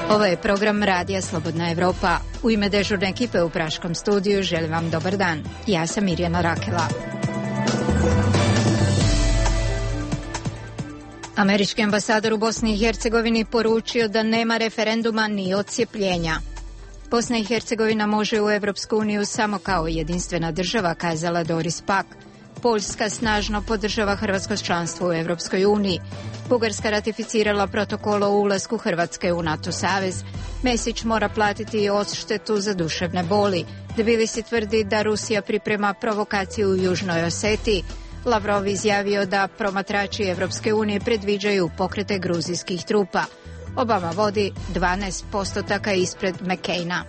Ovo je program Radija Slobodna Evropa. U ime dežurne ekipe u Praškom studiju želim vam dobar dan. Ja sam Mirjana Rakela. Američki ambasador u Bosni i Hercegovini poručio da nema referenduma ni odcijepljenja. Bosna i Hercegovina može u Evropsku uniju samo kao jedinstvena država, kazala Doris Pack. Poljska snažno podržava hrvatsko članstvo u Evropskoj uniji. Bugarska ratificirala protokol o ulasku Hrvatske u NATO savez. Mesić mora platiti odštetu za duševne boli. Tbilisi tvrdi da Rusija priprema provokaciju u Južnoj Osetiji. Lavrov izjavio da promatrači Evropske unije predviđaju pokrete gruzijskih trupa. Obama vodi 12% ispred McCaina.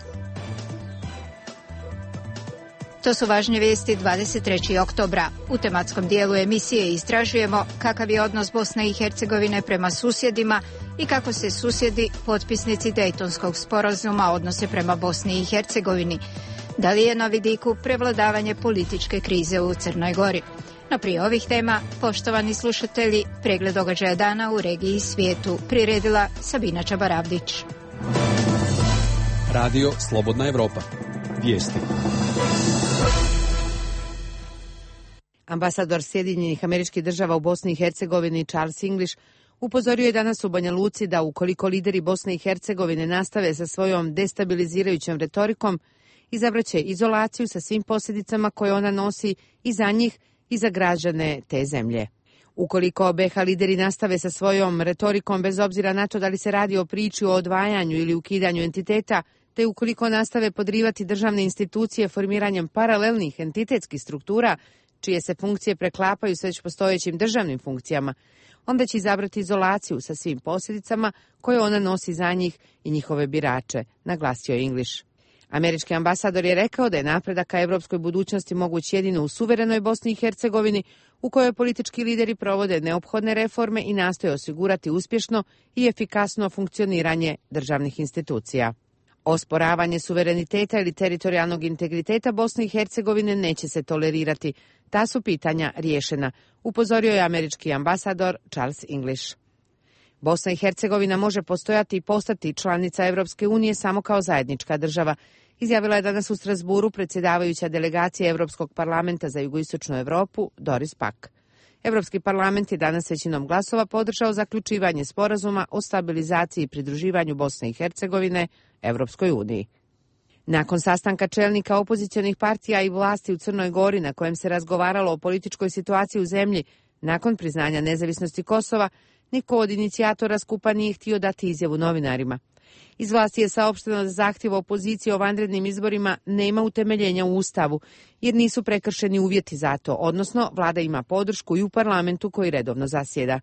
To su važne vijesti 23. oktobra. U tematskom dijelu emisije istražujemo kakav je odnos Bosne i Hercegovine prema susjedima i kako se susjedi, potpisnici Dejtonskog sporazuma, odnose prema Bosni i Hercegovini. Da li je na vidiku prevladavanje političke krize u Crnoj Gori? No prije ovih tema, poštovani slušatelji, pregled događaja dana u regiji i svijetu priredila Sabina Čabaravdić. Radio Slobodna Evropa. Vijesti. Ambasador Sjedinjenih Američkih Država u Bosni i Hercegovini Charles English upozorio je danas u Banja Luci da ukoliko lideri Bosne i Hercegovine nastave sa svojom destabilizirajućom retorikom, izabraće izolaciju sa svim posljedicama koje ona nosi i za njih i za građane te zemlje. Ukoliko BiH lideri nastave sa svojom retorikom bez obzira na to da li se radi o priči o odvajanju ili ukidanju entiteta, te ukoliko nastave podrivati državne institucije formiranjem paralelnih entitetskih struktura, čije se funkcije preklapaju s već postojećim državnim funkcijama, onda će izabrati izolaciju sa svim posljedicama koje ona nosi za njih i njihove birače, naglasio je English. Američki ambasador je rekao da je napredak ka evropskoj budućnosti moguć jedino u suverenoj Bosni i Hercegovini, u kojoj politički lideri provode neophodne reforme i nastoje osigurati uspješno i efikasno funkcioniranje državnih institucija. Osporavanje suvereniteta ili teritorijalnog integriteta Bosne i Hercegovine neće se tolerirati. Ta su pitanja riješena, upozorio je američki ambasador Charles English. Bosna i Hercegovina može postojati i postati članica Evropske unije samo kao zajednička država, izjavila je danas u Strasburu predsjedavajuća delegacija Evropskog parlamenta za jugoistočnu Evropu Doris Pack. Evropski parlament je danas većinom glasova podržao zaključivanje sporazuma o stabilizaciji i pridruživanju Bosne i Hercegovine Evropskoj uniji. Nakon sastanka čelnika opozicionih partija i vlasti u Crnoj Gori na kojem se razgovaralo o političkoj situaciji u zemlji, nakon priznanja nezavisnosti Kosova, niko od inicijatora skupa nije htio dati izjavu novinarima. Iz vlasti je saopšteno da zahtjev opozicije o vanrednim izborima nema utemeljenja u Ustavu, jer nisu prekršeni uvjeti za to, odnosno vlada ima podršku i u parlamentu koji redovno zasjeda.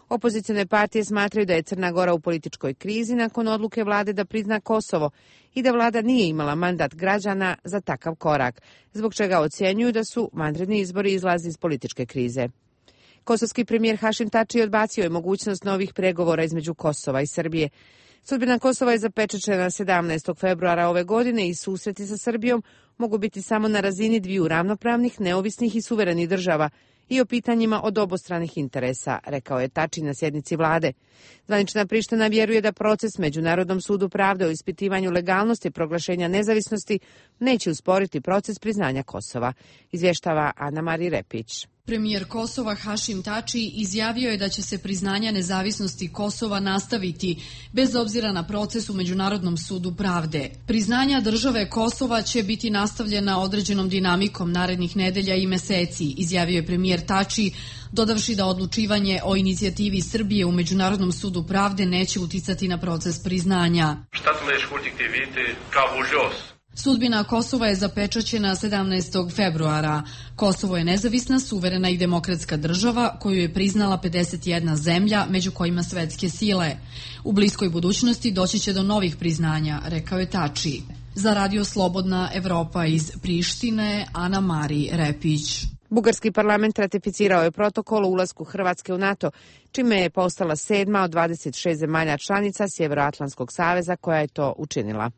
Opozicione partije smatraju da je Crna Gora u političkoj krizi nakon odluke vlade da prizna Kosovo i da vlada nije imala mandat građana za takav korak, zbog čega ocjenjuju da su vanredni izbori izlazi iz političke krize. Kosovski premijer Hašim Tači odbacio je mogućnost novih pregovora između Kosova i Srbije. Sudbina Kosova je zapečaćena 17. februara ove godine i susreti sa Srbijom mogu biti samo na razini dviju ravnopravnih, neovisnih i suverenih država i o pitanjima od obostranih interesa, rekao je Tači na sjednici vlade. Zvanična Priština vjeruje da proces Međunarodnom sudu pravde o ispitivanju legalnosti proglašenja nezavisnosti neće usporiti proces priznanja Kosova, izvještava Ana Mari Repić. Premijer Kosova Hašim Tači izjavio je da će se priznanja nezavisnosti Kosova nastaviti bez obzira na proces u Međunarodnom sudu pravde. Priznanja države Kosova će biti nastavljena određenom dinamikom narednih nedelja i meseci, izjavio je premijer Tači, dodavši da odlučivanje o inicijativi Srbije u Međunarodnom sudu pravde neće uticati na proces priznanja. Sudbina Kosova je zapečaćena 17. februara. Kosovo je nezavisna, suverena i demokratska država koju je priznala 51 zemlja, među kojima svetske sile. U bliskoj budućnosti doći će do novih priznanja, rekao je Tači. Za Radio Slobodna Evropa iz Prištine, Ana Mari Repić. Bugarski parlament ratificirao je protokol o ulasku Hrvatske u NATO, čime je postala 7. od 26 zemalja članica Sjevernoatlantskog saveza koja je to učinila.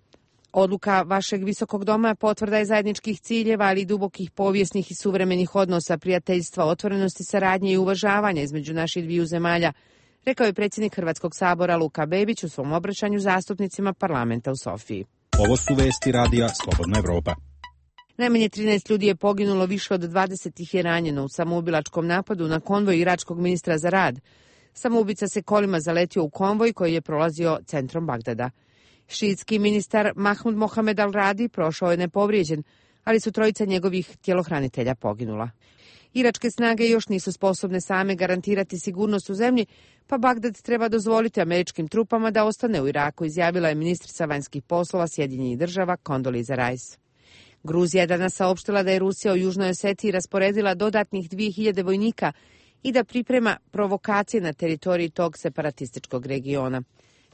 Odluka vašeg visokog doma potvrda je zajedničkih ciljeva, ali i dubokih povijesnih i suvremenih odnosa, prijateljstva, otvorenosti, saradnje i uvažavanja između naših dviju zemalja, rekao je predsjednik Hrvatskog sabora Luka Bebić u svom obraćanju zastupnicima parlamenta u Sofiji. Ovo su vesti radija Slobodna Evropa. Najmanje 13 ljudi je poginulo, više od 20 ih je ranjeno u samoubilačkom napadu na konvoj iračkog ministra za rad. Samoubica se kolima zaletio u konvoj koji je prolazio centrom Bagdada. Šiitski ministar Mahmud Mohamed al-Radi prošao je nepovrijeđen, ali su trojica njegovih tjelohranitelja poginula. Iračke snage još nisu sposobne same garantirati sigurnost u zemlji, pa Bagdad treba dozvoliti američkim trupama da ostane u Iraku, izjavila je ministrica vanjskih poslova Sjedinjenih država Condoleezza Rice. Gruzija je danas saopštila da je Rusija u Južnoj Osetiji rasporedila dodatnih 2000 vojnika i da priprema provokacije na teritoriji tog separatističkog regiona.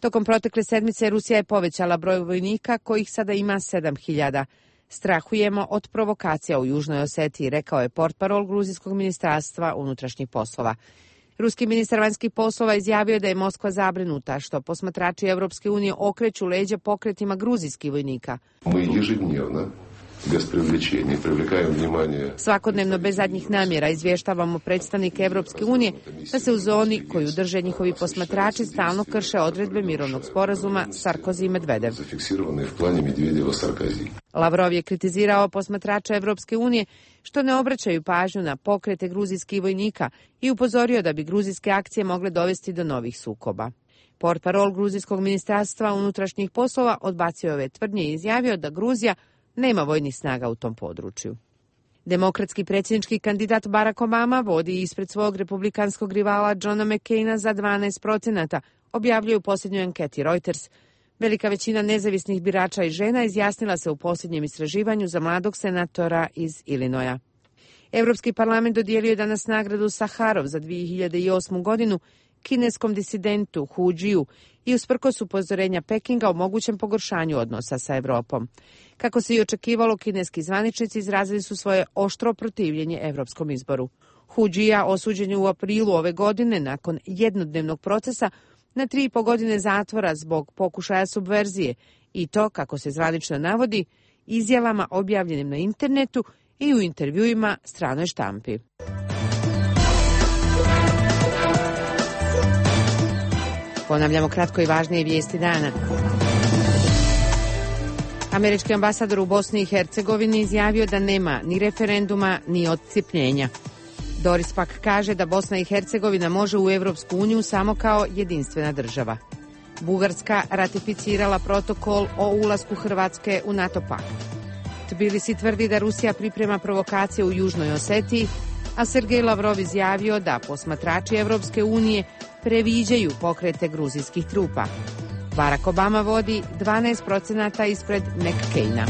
Tokom protekle sedmice Rusija je povećala broj vojnika, kojih sada ima 7000. Strahujemo od provokacija u Južnoj Osetiji, rekao je portparol gruzijskog ministarstva unutrašnjih poslova. Ruski ministar vanjskih poslova izjavio da je Moskva zabrinuta što posmatrači Evropske unije okreću leđa pokretima gruzijskih vojnika. Svakodnevno bez zadnjih namjera izvještavamo predstavnike Evropske unije da se u zoni koju drže njihovi posmatrači stalno krše odredbe mirovnog sporazuma Sarkozy i Medvedev. Lavrov je kritizirao posmatrača Evropske unije što ne obraćaju pažnju na pokrete gruzijskih vojnika i upozorio da bi gruzijske akcije mogle dovesti do novih sukoba. Portparol gruzijskog ministarstva unutrašnjih poslova odbacio ove tvrdnje i izjavio da Gruzija nema vojnih snaga u tom području. Demokratski predsjednički kandidat Barack Obama vodi ispred svog republikanskog rivala Johna McCaina za 12%, objavljuje u posljednjoj anketi Reuters. Velika većina nezavisnih birača i žena izjasnila se u posljednjem istraživanju za mladog senatora iz Illinoisa. Europski parlament dodijelio je danas nagradu Saharov za 2008. godinu kineskom disidentu Hu Jiu i usprkos upozorenja Pekinga o mogućem pogoršanju odnosa sa Evropom. Kako se i očekivalo, kineski zvaničnici izrazili su svoje oštro protivljenje evropskom izboru. Hu Jia osuđen je u aprilu ove godine nakon jednodnevnog procesa na 3,5 godine zatvora zbog pokušaja subverzije i to, kako se zvanično navodi, izjavama objavljenim na internetu i u intervjuima stranoj štampi. Ponavljamo kratko i važnije vijesti dana. Američki ambasador u Bosni i Hercegovini izjavio da nema ni referenduma ni odcijepljenja. Doris pak kaže da Bosna i Hercegovina može u Evropsku uniju samo kao jedinstvena država. Bugarska ratificirala protokol o ulasku Hrvatske u NATO pakt. Tbilisi tvrdi da Rusija priprema provokacije u Južnoj Osetiji, a Sergej Lavrov izjavio da posmatrači Evropske unije previđaju pokrete gruzijskih trupa. Barack Obama vodi 12% ispred McCaina.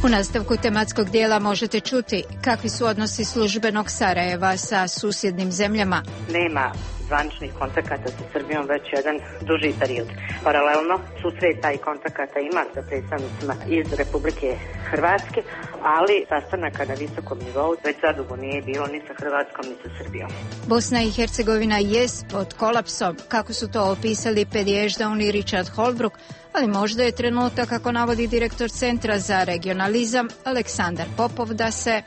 U nastavku tematskog dijela možete čuti kakvi su odnosi službenog Sarajeva sa susjednim zemljama. Nema zvaničnih kontakata sa Srbijom već jedan duži period. Paralelno susreta i kontakata ima sa predstavnicima iz Republike Hrvatske, ali sastanaka na visokom nivou već zadugo nije bilo ni sa Hrvatskom ni sa Srbijom. Bosna i Hercegovina jest pod kolapsom, kako su to opisali Pedježdaun i Richard Holbrooke, ali možda je trenutak, kako navodi direktor Centra za regionalizam Aleksandar Popov, da se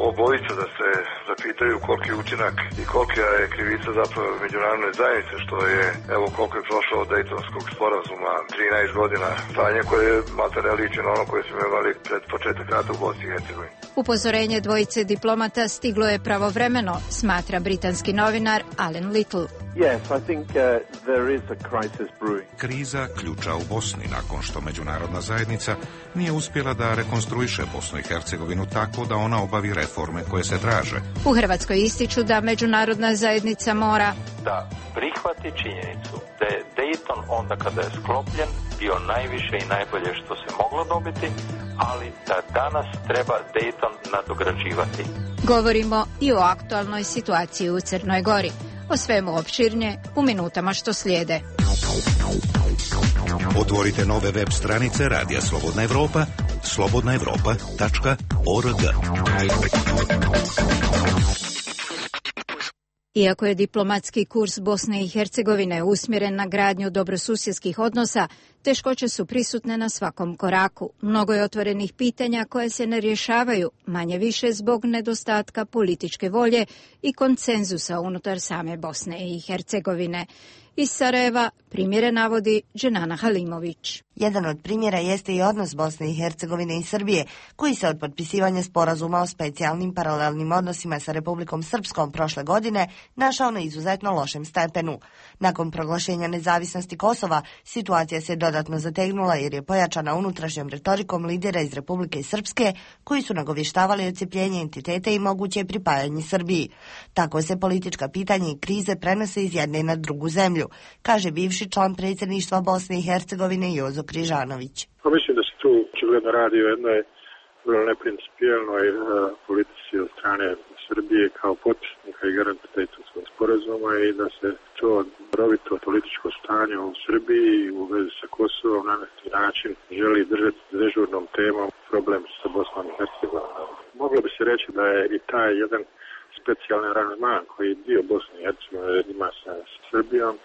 obojica da se zapitaju koliki je učinak i kolika je krivica zapravo međunarodne zajednice, što je, evo koliko je prošlo od Dejtonskog sporazuma, 13 godina stanje koje je maltene liči na ono koje smo imali pred početak rata u Bosni i Hercegovini. Upozorenje dvojice diplomata stiglo je pravovremeno, smatra britanski novinar Alan Little. Yes, I think there is a crisis brewing. Kriza ključa u Bosni nakon što međunarodna zajednica nije uspjela da rekonstruiše Bosnu i Hercegovinu tako da ona obavi reforme koje se traže. U Hrvatskoj ističu da međunarodna zajednica mora da prihvati činjenicu da je Dayton onda kada je sklopljen bio najviše i najbolje što se moglo dobiti, ali da danas treba Dayton nadograđivati. Govorimo i o aktualnoj situaciji u Crnoj Gori. O svemu opširnije u minutama što slijede. Otvorite nove web stranice Radija Slobodna Evropa, slobodnaevropa.org. Iako je diplomatski kurs Bosne i Hercegovine usmjeren na gradnju dobrosusjedskih odnosa, teškoće su prisutne na svakom koraku. Mnogo je otvorenih pitanja koje se ne rješavaju, manje više zbog nedostatka političke volje i konsenzusa unutar same Bosne i Hercegovine. Iz Sarajeva primjere navodi Dženana Halimović. Jedan od primjera jeste i odnos Bosne i Hercegovine i Srbije, koji se od potpisivanja sporazuma o specijalnim paralelnim odnosima sa Republikom Srpskom prošle godine našao na izuzetno lošem stepenu. Nakon proglašenja nezavisnosti Kosova, situacija se dodatno zategnula jer je pojačana unutrašnjom retorikom lidera iz Republike Srpske, koji su nagovještavali odcepljenje entiteta i moguće pripajanje Srbiji. Tako se politička pitanja i krize prenose iz jedne na drugu zemlju, kaže bivši član predsjedništva Bosne i Hercegovine Jozo Križanović. Mislim da se tu očigledno radi o jednoj vrlo neprincipijelnoj politici od strane Srbije kao potpisnika i garanta Dejtonskog sporazuma i da se to rovito političko stanje u Srbiji u vezi sa Kosovom na neki način želi držati dežurnom temom problem sa Bosnom i Hercegovinom. Moglo bi se reći da je i taj jedan specijalni aranžman koji je dio Bosne i Hercegovine ima sa Srbijom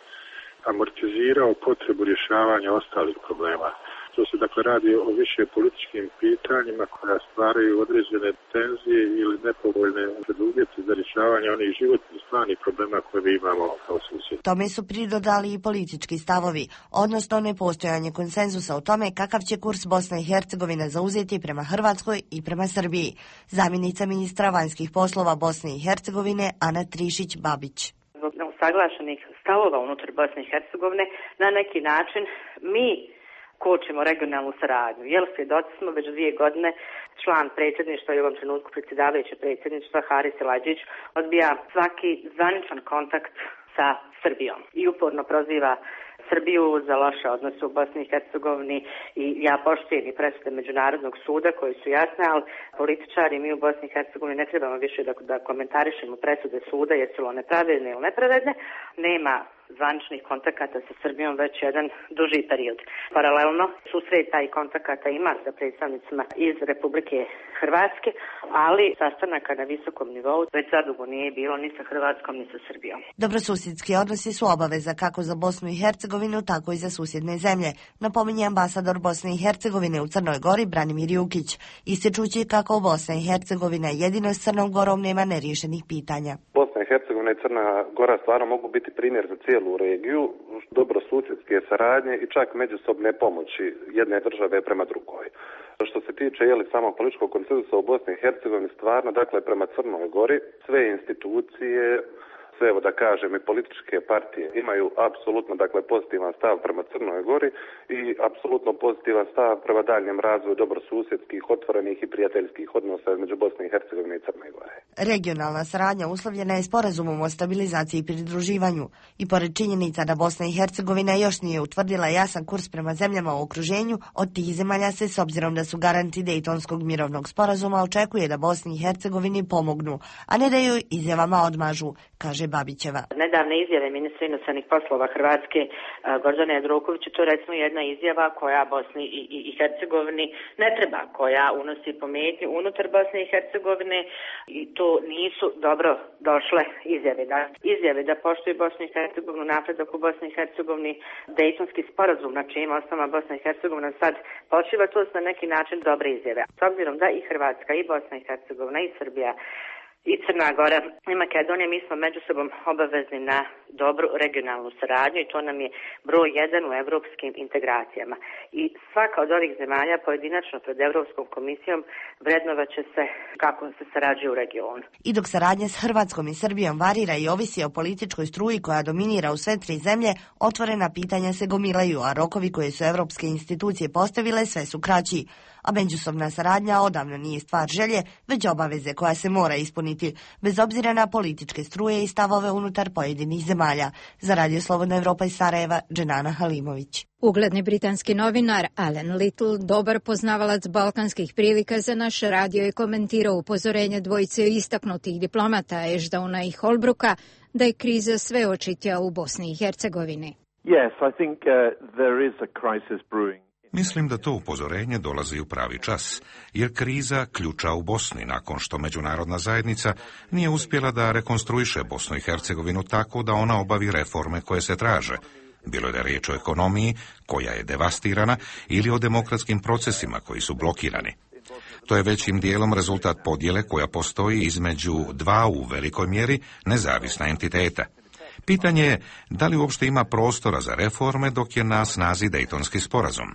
amortizirao potrebu rješavanja ostalih problema. To se dakle radi o više političkim pitanjima koja stvaraju određene tenzije ili nepovoljne preduvjete za rješavanje onih životnih stvarnih problema koje mi imamo kao susjed. Tome su pridodali i politički stavovi, odnosno nepostojanje konsenzusa o tome kakav će kurs Bosna i Hercegovina zauzeti prema Hrvatskoj i prema Srbiji. Zamjenica ministra vanjskih poslova Bosne i Hercegovine Ana Trišić-Babić. Zbog neusaglašenih stavova unutar Bosne i Hercegovine na neki način mi kočimo regionalnu saradnju. Jer svjedoci smo već 2 godine član predsjedništva i u ovom trenutku predsjedavajuće predsjedništva Haris Elađić odbija svaki zvaničan kontakt sa Srbijom i uporno proziva Srbiju za loše odnose u Bosni i Hercegovini i ja poštujem i presude Međunarodnog suda koji su jasne, ali političari mi u Bosni i Hercegovini ne trebamo više da komentarišemo presude suda jesu li one pravedne ili nepravedne. Nema zvaničnih kontakata sa Srbijom već jedan duži period. Paralelno susreta i kontakata ima sa predstavnicima iz Republike Hrvatske, ali sastanaka na visokom nivou već zadugo nije bilo ni sa Hrvatskom ni sa Srbijom. Dobrosusjedski odnosi su obaveza kako za Bosnu i Hercegovinu, tako i za susjedne zemlje, napominje ambasador Bosne i Hercegovine u Crnoj Gori Branimir Jukić, ističući kako Bosna i Hercegovina jedino s Crnom Gorom nema neriješenih pitanja. Bosna i Hercegovina i Crna Gora stvarno mogu biti primjer za cijelu regiju, dobrosusjedske saradnje i čak međusobne pomoći jedne države prema drugoj. Što se tiče samog političkog konsenzusa u Bosni i Hercegovini, stvarno, dakle, prema Crnoj Gori, sve institucije, sve, evo da kažem, i političke partije imaju apsolutno, dakle, pozitivan stav prema Crnoj Gori i apsolutno pozitivan stav prema daljem razvoju dobrosusjedskih, otvorenih i prijateljskih odnosa između Bosne i Hercegovine i Crne Gore. Regionalna saradnja uslovljena je sporazumom o stabilizaciji i pridruživanju i pored činjenica da Bosna i Hercegovina još nije utvrdila jasan kurs prema zemljama u okruženju, od tih zemalja se, s obzirom da su garanti Dejtonskog mirovnog sporazuma, očekuje da Bosni i Hercegovini pomognu, a ne da joj izjavama odmažu, kaže Babićeva. Nedavne izjave ministra inostranih poslova Hrvatske Gordana Jandrokovića, to je recimo jedna izjava koja Bosni i Hercegovini ne treba, koja unosi pometnju unutar Bosne i Hercegovine i to nisu dobro došle izjave. Izjave da poštuju Bosnu i Hercegovinu, napredak u Bosni i Hercegovini, Dejtonski sporazum na čijim osnovama Bosna i Hercegovina sad počiva, to su na neki način dobre izjave. S obzirom da i Hrvatska i Bosna i Hercegovina i Srbija i Crna Gora i Makedonija, mi smo među sobom obavezni na dobru regionalnu saradnju i to nam je broj 1 u evropskim integracijama. I svaka od ovih zemalja pojedinačno pred Evropskom komisijom vrednovat će se kako se sarađuje u regionu. I dok saradnja s Hrvatskom i Srbijom varira i ovisi o političkoj struji koja dominira u sve 3 zemlje, otvorena pitanja se gomilaju, a rokovi koje su evropske institucije postavile sve su kraći. A međusobna saradnja odavno nije stvar želje, već obaveze koja se mora ispuniti, bez obzira na političke struje i stavove unutar pojedinih zemalja. Za Radio Slobodna Evropa iz Sarajeva, Dženana Halimović. Ugledni britanski novinar Alan Little, dobar poznavalac balkanskih prilika, za naš radio je komentirao upozorenje dvojice istaknutih diplomata Ashdowna i Holbrooka da je kriza sve očitija u Bosni i Hercegovini. Yes, I think there is a crisis brewing. Mislim da to upozorenje dolazi u pravi čas, jer kriza ključa u Bosni nakon što međunarodna zajednica nije uspjela da rekonstruiše Bosnu i Hercegovinu tako da ona obavi reforme koje se traže. Bilo je da riječ o ekonomiji koja je devastirana ili o demokratskim procesima koji su blokirani. To je većim dijelom rezultat podjele koja postoji između dva u velikoj mjeri nezavisna entiteta. Pitanje je da li uopšte ima prostora za reforme dok je na snazi Dejtonski sporazum.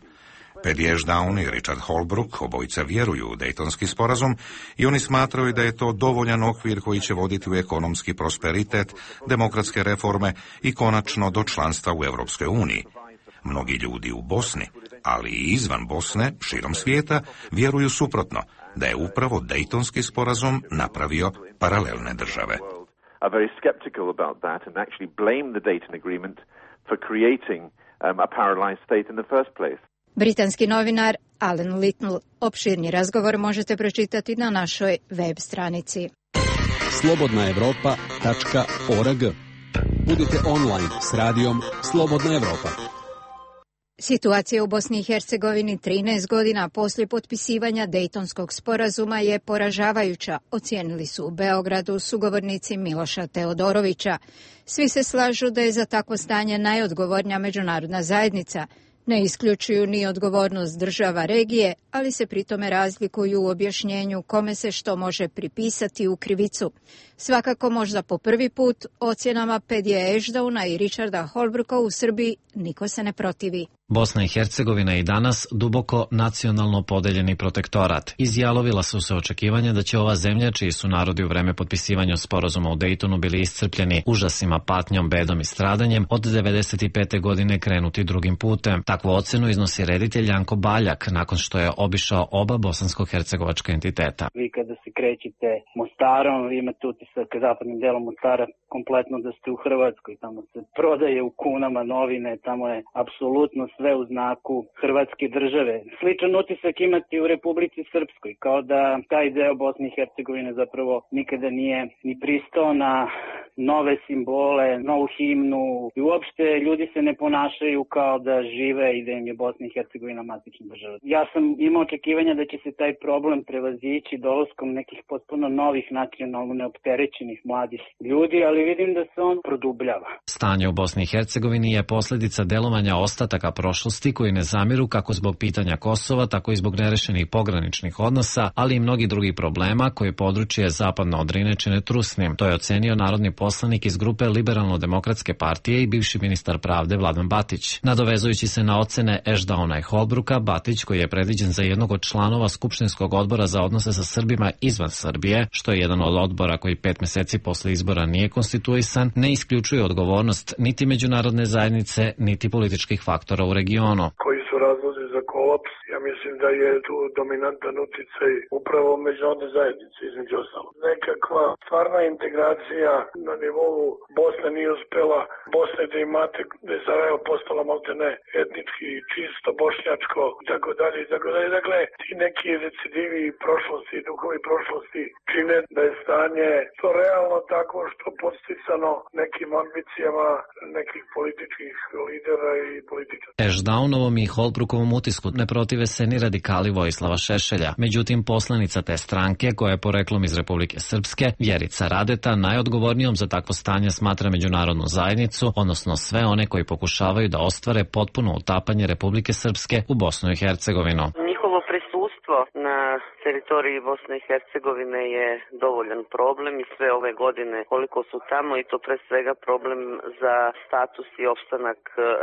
Paddy Ashdown i Richard Holbrooke obojica vjeruju u Dejtonski sporazum i oni smatraju da je to dovoljan okvir koji će voditi u ekonomski prosperitet, demokratske reforme i konačno do članstva u Europskoj uniji. Mnogi ljudi u Bosni, ali i izvan Bosne, širom svijeta, vjeruju suprotno, da je upravo Dejtonski sporazum napravio paralelne države. Are very skeptical about that and actually blame the Dayton Agreement for creating a parallelized state in the first place. Britanski novinar Alan Little. Opširni razgovor možete pročitati na našoj web stranici. slobodnaevropa.org. Budite online s radijom Slobodna Evropa. Situacija u Bosni i Hercegovini 13 godina poslije potpisivanja Dejtonskog sporazuma je poražavajuća, ocijenili su u Beogradu sugovornici Miloša Teodorovića. Svi se slažu da je za takvo stanje najodgovornija međunarodna zajednica. Ne isključuju ni odgovornost država regije, ali se pritome razlikuju u objašnjenju kome se što može pripisati u krivicu. Svakako možda po prvi put ocjenama Paddyja Ashdowna i Richarda Holbrooka u Srbiji niko se ne protivi. Bosna i Hercegovina je i danas duboko nacionalno podeljeni protektorat. Izjalovila su se očekivanja da će ova zemlja, čiji su narodi u vreme potpisivanja sporazuma u Dejtonu bili iscrpljeni užasima, patnjom, bedom i stradanjem, od 95. godine krenuti drugim putem. Takvu ocenu iznosi reditelj Janko Baljak nakon što je obišao oba bosansko-hercegovačka entiteta. Vi kada se krećete Mostarom, vi imate utisak zapadnim delom Mostara kompletno da ste u Hrvatskoj. Tamo se prodaje u kunama novine, tamo je apsolutno sve u znaku Hrvatske države. Sličan utisak imati u Republici Srpskoj, kao da taj deo Bosne i Hercegovine zapravo nikada nije ni pristao na nove simbole, novu himnu i uopšte ljudi se ne ponašaju kao da žive i da im je Bosna i Hercegovina matična država. Ja sam imao očekivanja da će se taj problem prevazići dolaskom nekih potpuno novih nacionalno neopterećenih mladih ljudi, ali vidim da se on produbljava. Stanje u Bosni i Hercegovini je posljedica delovanja ostataka prošlosti koji ne zamiru kako zbog pitanja Kosova, tako i zbog nerešenih pograničnih odnosa, ali i mnogi drugih problema koje područje zapadno od Drine čine trusnim. To je ocenio narodni poslanik iz grupe Liberalno-demokratske partije i bivši ministar pravde Vladan Batić. Nadovezujući se na ocene Ashdowna i Holbrooka, Batić, koji je predviđen za jednog od članova Skupštinskog odbora za odnose sa Srbima izvan Srbije, što je jedan od odbora koji 5 mjeseci posle izbora nije konstituisan, ne isključuje odgovornost niti međunarodne zajednice, niti političkih faktora u regionu. Koji su razlozi za kolaps? Ja mislim da je tu dominantan uticaj upravo međunarodne zajednice, između ostalo. Nekakva stvarna integracija na nivou Bosne nije uspjela. Bosne da imate, da je Sarajevo postala maltene etnički čisto bošnjačko i tako dalje i tako dalje. Dakle, ti neki recidivi prošlosti, duhovi prošlosti čine da je stanje to realno tako što podsticano nekim ambicijama nekih političkih lidera i političara. Ashdownovom i Holbrookovom utisku ne protive se ni radikali Vojislava Šešelja. Međutim, poslanica te stranke, koja je poreklom iz Republike Srpske, Vjerica Radeta, najodgovornijom za takvo stanje smatra međunarodnu zajednicu, odnosno sve one koji pokušavaju da ostvare potpuno utapanje Republike Srpske u Bosnu i Hercegovinu. Njihovo prisustvo na teritoriji Bosne i Hercegovine je dovoljan problem i sve ove godine koliko su tamo i to pre svega problem za status i opstanak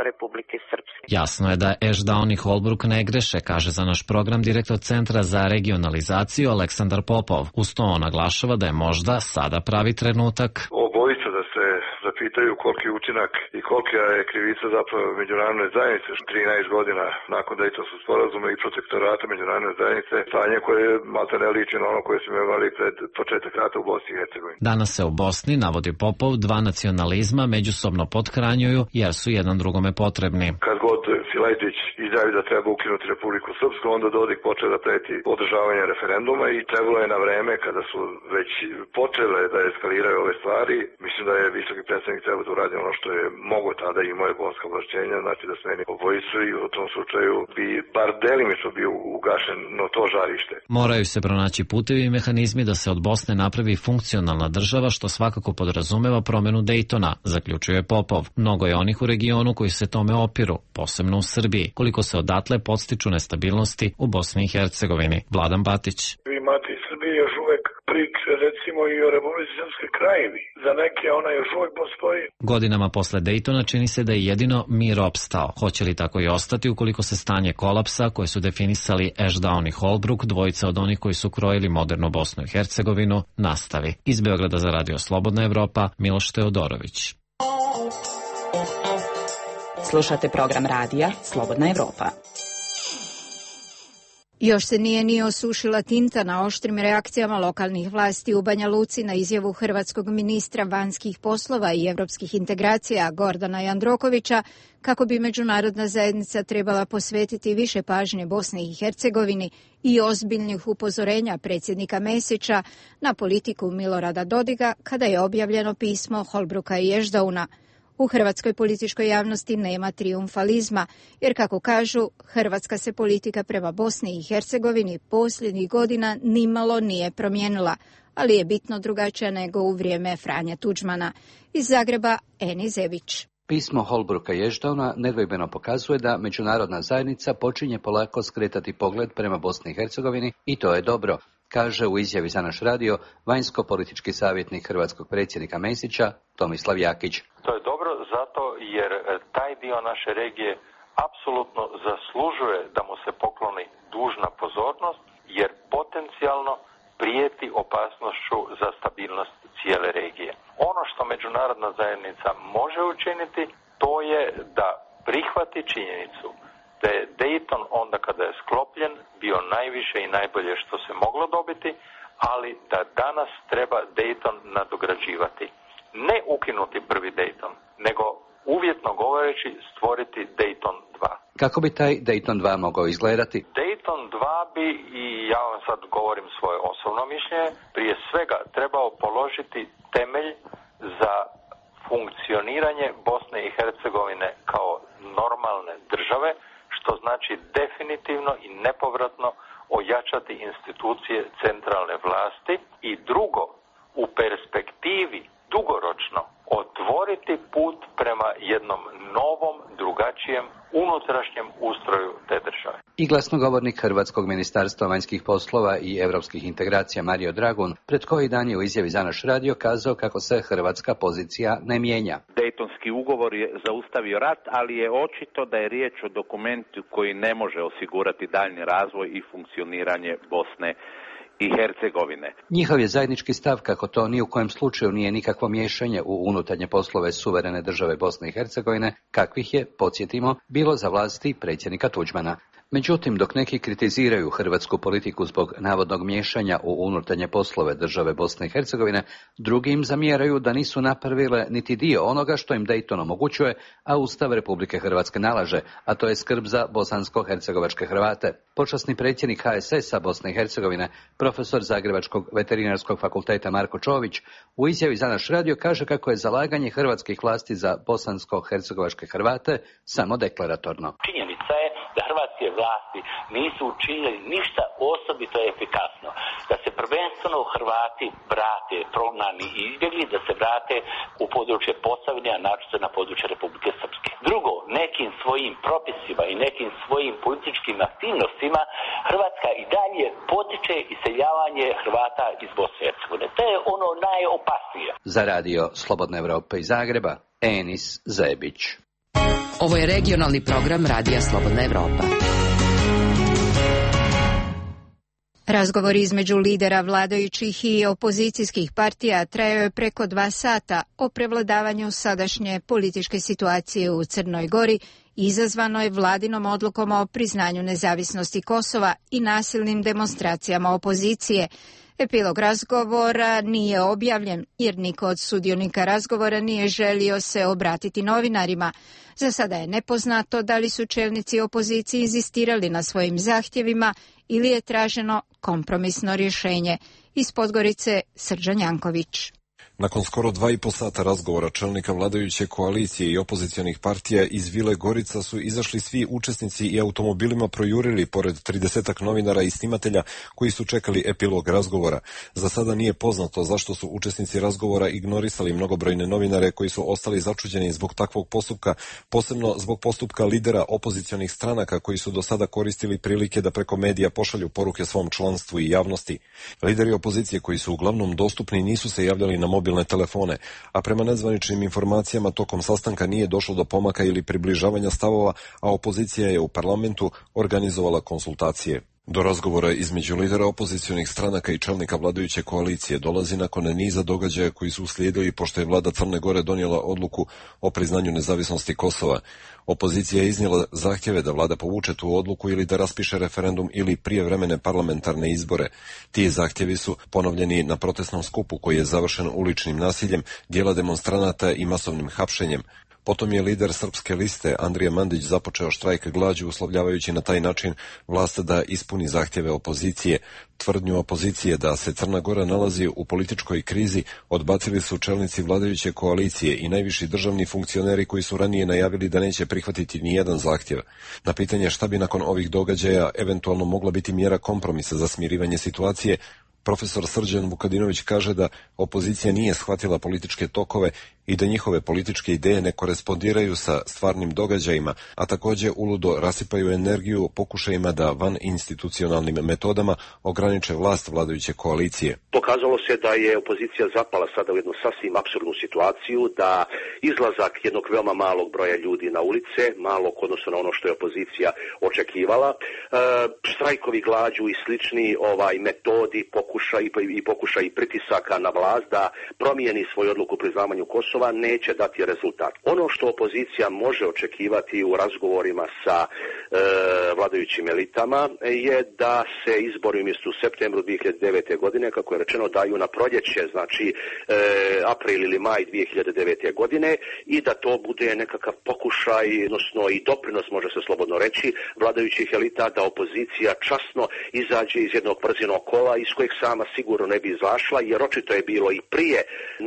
Republike Srpske. Jasno je da Ashdown i Holbrook ne greše, kaže za naš program direktor Centra za regionalizaciju Aleksandar Popov. Uz to on naglašava da je možda sada pravi trenutak obojica da se zapitaju koliki je učinak i kolika je krivica zapravo međunarodne zajednice. 13 godina nakon Dejtonskog sporazuma i protektorata međunarodne zajednice, stanje koje malta ne liči na ono koje smo imali pred početak rata u Bosni i Hercegovini. Danas se u Bosni, navodi Popov, dva nacionalizma međusobno pothranjuju jer su jedan drugome potrebni. Kad god Silajđić izjavi da treba ukinuti Republiku Srpsku, onda Dodik počeo da preti održavanje referenduma i trebalo je na vreme kada su već počele da eskaliraju ove stvari. Mislim da je visoki predstavnik treba da uradi ono što je mogo tada i moje bonska ovlašćenja, znači da smeni obojicu i u tom slučaju bi bar delimično bio ugašeno to žarište. Moraju se pronaći putevi i mehanizmi da se od Bosne napravi funkcionalna država, što svakako podrazumeva promenu Dejtona, zaključuje Popov. Mnogo je onih u regionu koji se tome opiru, posebno u Srbiji, koliko se odatle podstiču nestabilnosti u Bosni i Hercegovini. Vladan Batić. Vi imate i Srbiji još uvek priče, recimo i o Republici Srpskoj Krajini. Za neke ona još uvek postoji. Godinama posle Dejtona čini se da je jedino mir opstao. Hoće li tako i ostati ukoliko se stanje kolapsa, koje su definisali Ashdown i Holbrooke, dvojica od onih koji su krojili modernu Bosnu i Hercegovinu, nastavi? Iz Beograda za Radio Slobodna Evropa, Miloš Teodorović. Slušate program radija Slobodna Evropa. Još se nije ni osušila tinta na oštrim reakcijama lokalnih vlasti u Banja Luci na izjavu hrvatskog ministra vanjskih poslova i evropskih integracija Gordana Jandrokovića kako bi međunarodna zajednica trebala posvetiti više pažnje Bosni i Hercegovini i ozbiljnih upozorenja predsjednika Mesića na politiku Milorada Dodiga kada je objavljeno pismo Holbrooka i Ashdowana. U hrvatskoj političkoj javnosti nema trijumfalizma, jer kako kažu, hrvatska se politika prema Bosni i Hercegovini posljednjih godina nimalo nije promijenila, ali je bitno drugačija nego u vrijeme Franje Tuđmana. Iz Zagreba, Eni Zebić. Pismo Holbrooka i Ashdowna nedvojbeno pokazuje da međunarodna zajednica počinje polako skretati pogled prema Bosni i Hercegovini i to je dobro, kaže u izjavi za naš radio vanjsko-politički savjetnik hrvatskog predsjednika Mesića Tomislav Jakić. To je dobro zato jer taj dio naše regije apsolutno zaslužuje da mu se pokloni dužna pozornost, jer potencijalno prijeti opasnošću za stabilnost cijele regije. Ono što međunarodna zajednica može učiniti, to je da prihvati činjenicu da je Dayton onda kada je sklopljen bio najviše i najbolje što se moglo dobiti, ali da danas treba Dayton nadograđivati. Ne ukinuti prvi Dayton, nego uvjetno govoreći stvoriti Dayton 2. Kako bi taj Dayton 2 mogao izgledati? Dayton 2 bi, i ja vam sad govorim svoje osobno mišljenje, prije svega trebao položiti temelj za funkcioniranje Bosne i Hercegovine kao normalne države, što znači definitivno i nepovratno ojačati institucije centralne vlasti i drugo, u perspektivi dugoročno otvoriti put prema jednom novom, drugačijem, unutrašnjem ustroju te države. I glasnogovornik Hrvatskog ministarstva vanjskih poslova i europskih integracija Mario Dragun pred koji dan je u izjavi za naš radio kazao kako se hrvatska pozicija ne mijenja. Dejtonski ugovor je zaustavio rat, ali je očito da je riječ o dokumentu koji ne može osigurati daljnji razvoj i funkcioniranje Bosne i Hercegovine. Njihov je zajednički stav kako to ni u kojem slučaju nije nikakvo miješanje u unutarnje poslove suverene države Bosne i Hercegovine, kakvih je, podsjetimo, bilo za vlasti predsjednika Tuđmana. Međutim, dok neki kritiziraju hrvatsku politiku zbog navodnog miješanja u unutarnje poslove države Bosne i Hercegovine, drugi im zamjeraju da nisu napravile niti dio onoga što im Dayton omogućuje, a Ustav Republike Hrvatske nalaže, a to je skrb za bosansko-hercegovačke Hrvate. Počasni predsjednik HSS-a Bosne i Hercegovine, profesor Zagrebačkog veterinarskog fakulteta Marko Čović, u izjavi za naš radio kaže kako je zalaganje hrvatskih vlasti za bosansko-hercegovačke Hrvate samo deklaratorno. Činjenica je da hrvatske vlasti nisu učinili ništa osobito efikasno. Da se prvenstveno Hrvati vrate, prognani i izbjegli, da se vrate u područje Posavine, a naročito na područje Republike Srpske. Drugo, nekim svojim propisima i nekim svojim političkim aktivnostima Hrvatska i dalje potiče iseljavanje Hrvata iz Bosne i Hercegovine. To je ono najopasnije. Za radio Slobodna Evropa iz Zagreba, Enis Zebić. Ovo je regionalni program Radija Slobodna Evropa. Razgovor između lidera vladajućih i opozicijskih partija trajao je preko 2 sata o prevladavanju sadašnje političke situacije u Crnoj Gori izazvano je vladinom odlukom o priznanju nezavisnosti Kosova i nasilnim demonstracijama opozicije. Epilog razgovora nije objavljen jer niko od sudionika razgovora nije želio se obratiti novinarima. Za sada je nepoznato da li su čelnici opozicije inzistirali na svojim zahtjevima ili je traženo kompromisno rješenje. Iz Podgorice, Srđan Janković. Nakon skoro 2,5 sata razgovora čelnika vladajuće koalicije i opozicionih partija iz Vile Gorica su izašli svi učesnici i automobilima projurili pored 30-ak novinara i snimatelja koji su čekali epilog razgovora. Za sada nije poznato zašto su učesnici razgovora ignorisali mnogobrojne novinare koji su ostali začuđeni zbog takvog postupka, posebno zbog postupka lidera opozicionih stranaka koji su do sada koristili prilike da preko medija pošalju poruke svom članstvu i javnosti. Lideri opozicije koji su uglavnom dostupni nisu se javljali na mobilne telefone, a prema nezvaničnim informacijama tokom sastanka nije došlo do pomaka ili približavanja stavova, a opozicija je u parlamentu organizovala konsultacije. Do razgovora između lidera opozicionih stranaka i čelnika vladajuće koalicije dolazi nakon niza događaja koji su uslijedili pošto je vlada Crne Gore donijela odluku o priznanju nezavisnosti Kosova. Opozicija je iznijela zahtjeve da vlada povuče tu odluku ili da raspiše referendum ili prijevremene parlamentarne izbore. Ti zahtjevi su ponovljeni na protestnom skupu koji je završen uličnim nasiljem, dijela demonstranata i masovnim hapšenjem. Potom je lider Srpske liste Andrija Mandić započeo štrajk glađu uslovljavajući na taj način vlast da ispuni zahtjeve opozicije. Tvrdnju opozicije da se Crna Gora nalazi u političkoj krizi odbacili su čelnici vladajuće koalicije i najviši državni funkcioneri koji su ranije najavili da neće prihvatiti ni jedan zahtjev. Na pitanje šta bi nakon ovih događaja eventualno mogla biti mjera kompromisa za smirivanje situacije, profesor Srđan Vukadinović kaže da opozicija nije shvatila političke tokove i da njihove političke ideje ne korespondiraju sa stvarnim događajima, a također uludo rasipaju energiju pokušajima da van institucionalnim metodama ograniče vlast vladajuće koalicije. Pokazalo se da je opozicija zapala sada u jednu sasvim apsurdnu situaciju, da izlazak jednog veoma malog broja ljudi na ulice, malog odnosno na ono što je opozicija očekivala, štrajkovi glađu i slični metodi, pokušaj pritisaka na vlast da promijeni svoju odluku o priznavanju Kosova neće dati rezultat. Ono što opozicija može očekivati u razgovorima sa vladajućim elitama je da se izbori umjesto u septembru 2009. godine, kako je rečeno, daju na proljeće, znači april ili maj 2009. godine i da to bude nekakav pokušaj, odnosno i doprinos, može se slobodno reći, vladajućih elita da opozicija časno izađe iz jednog brzinog kola iz kojeg sama sigurno ne bi izašla, jer očito je bilo i prije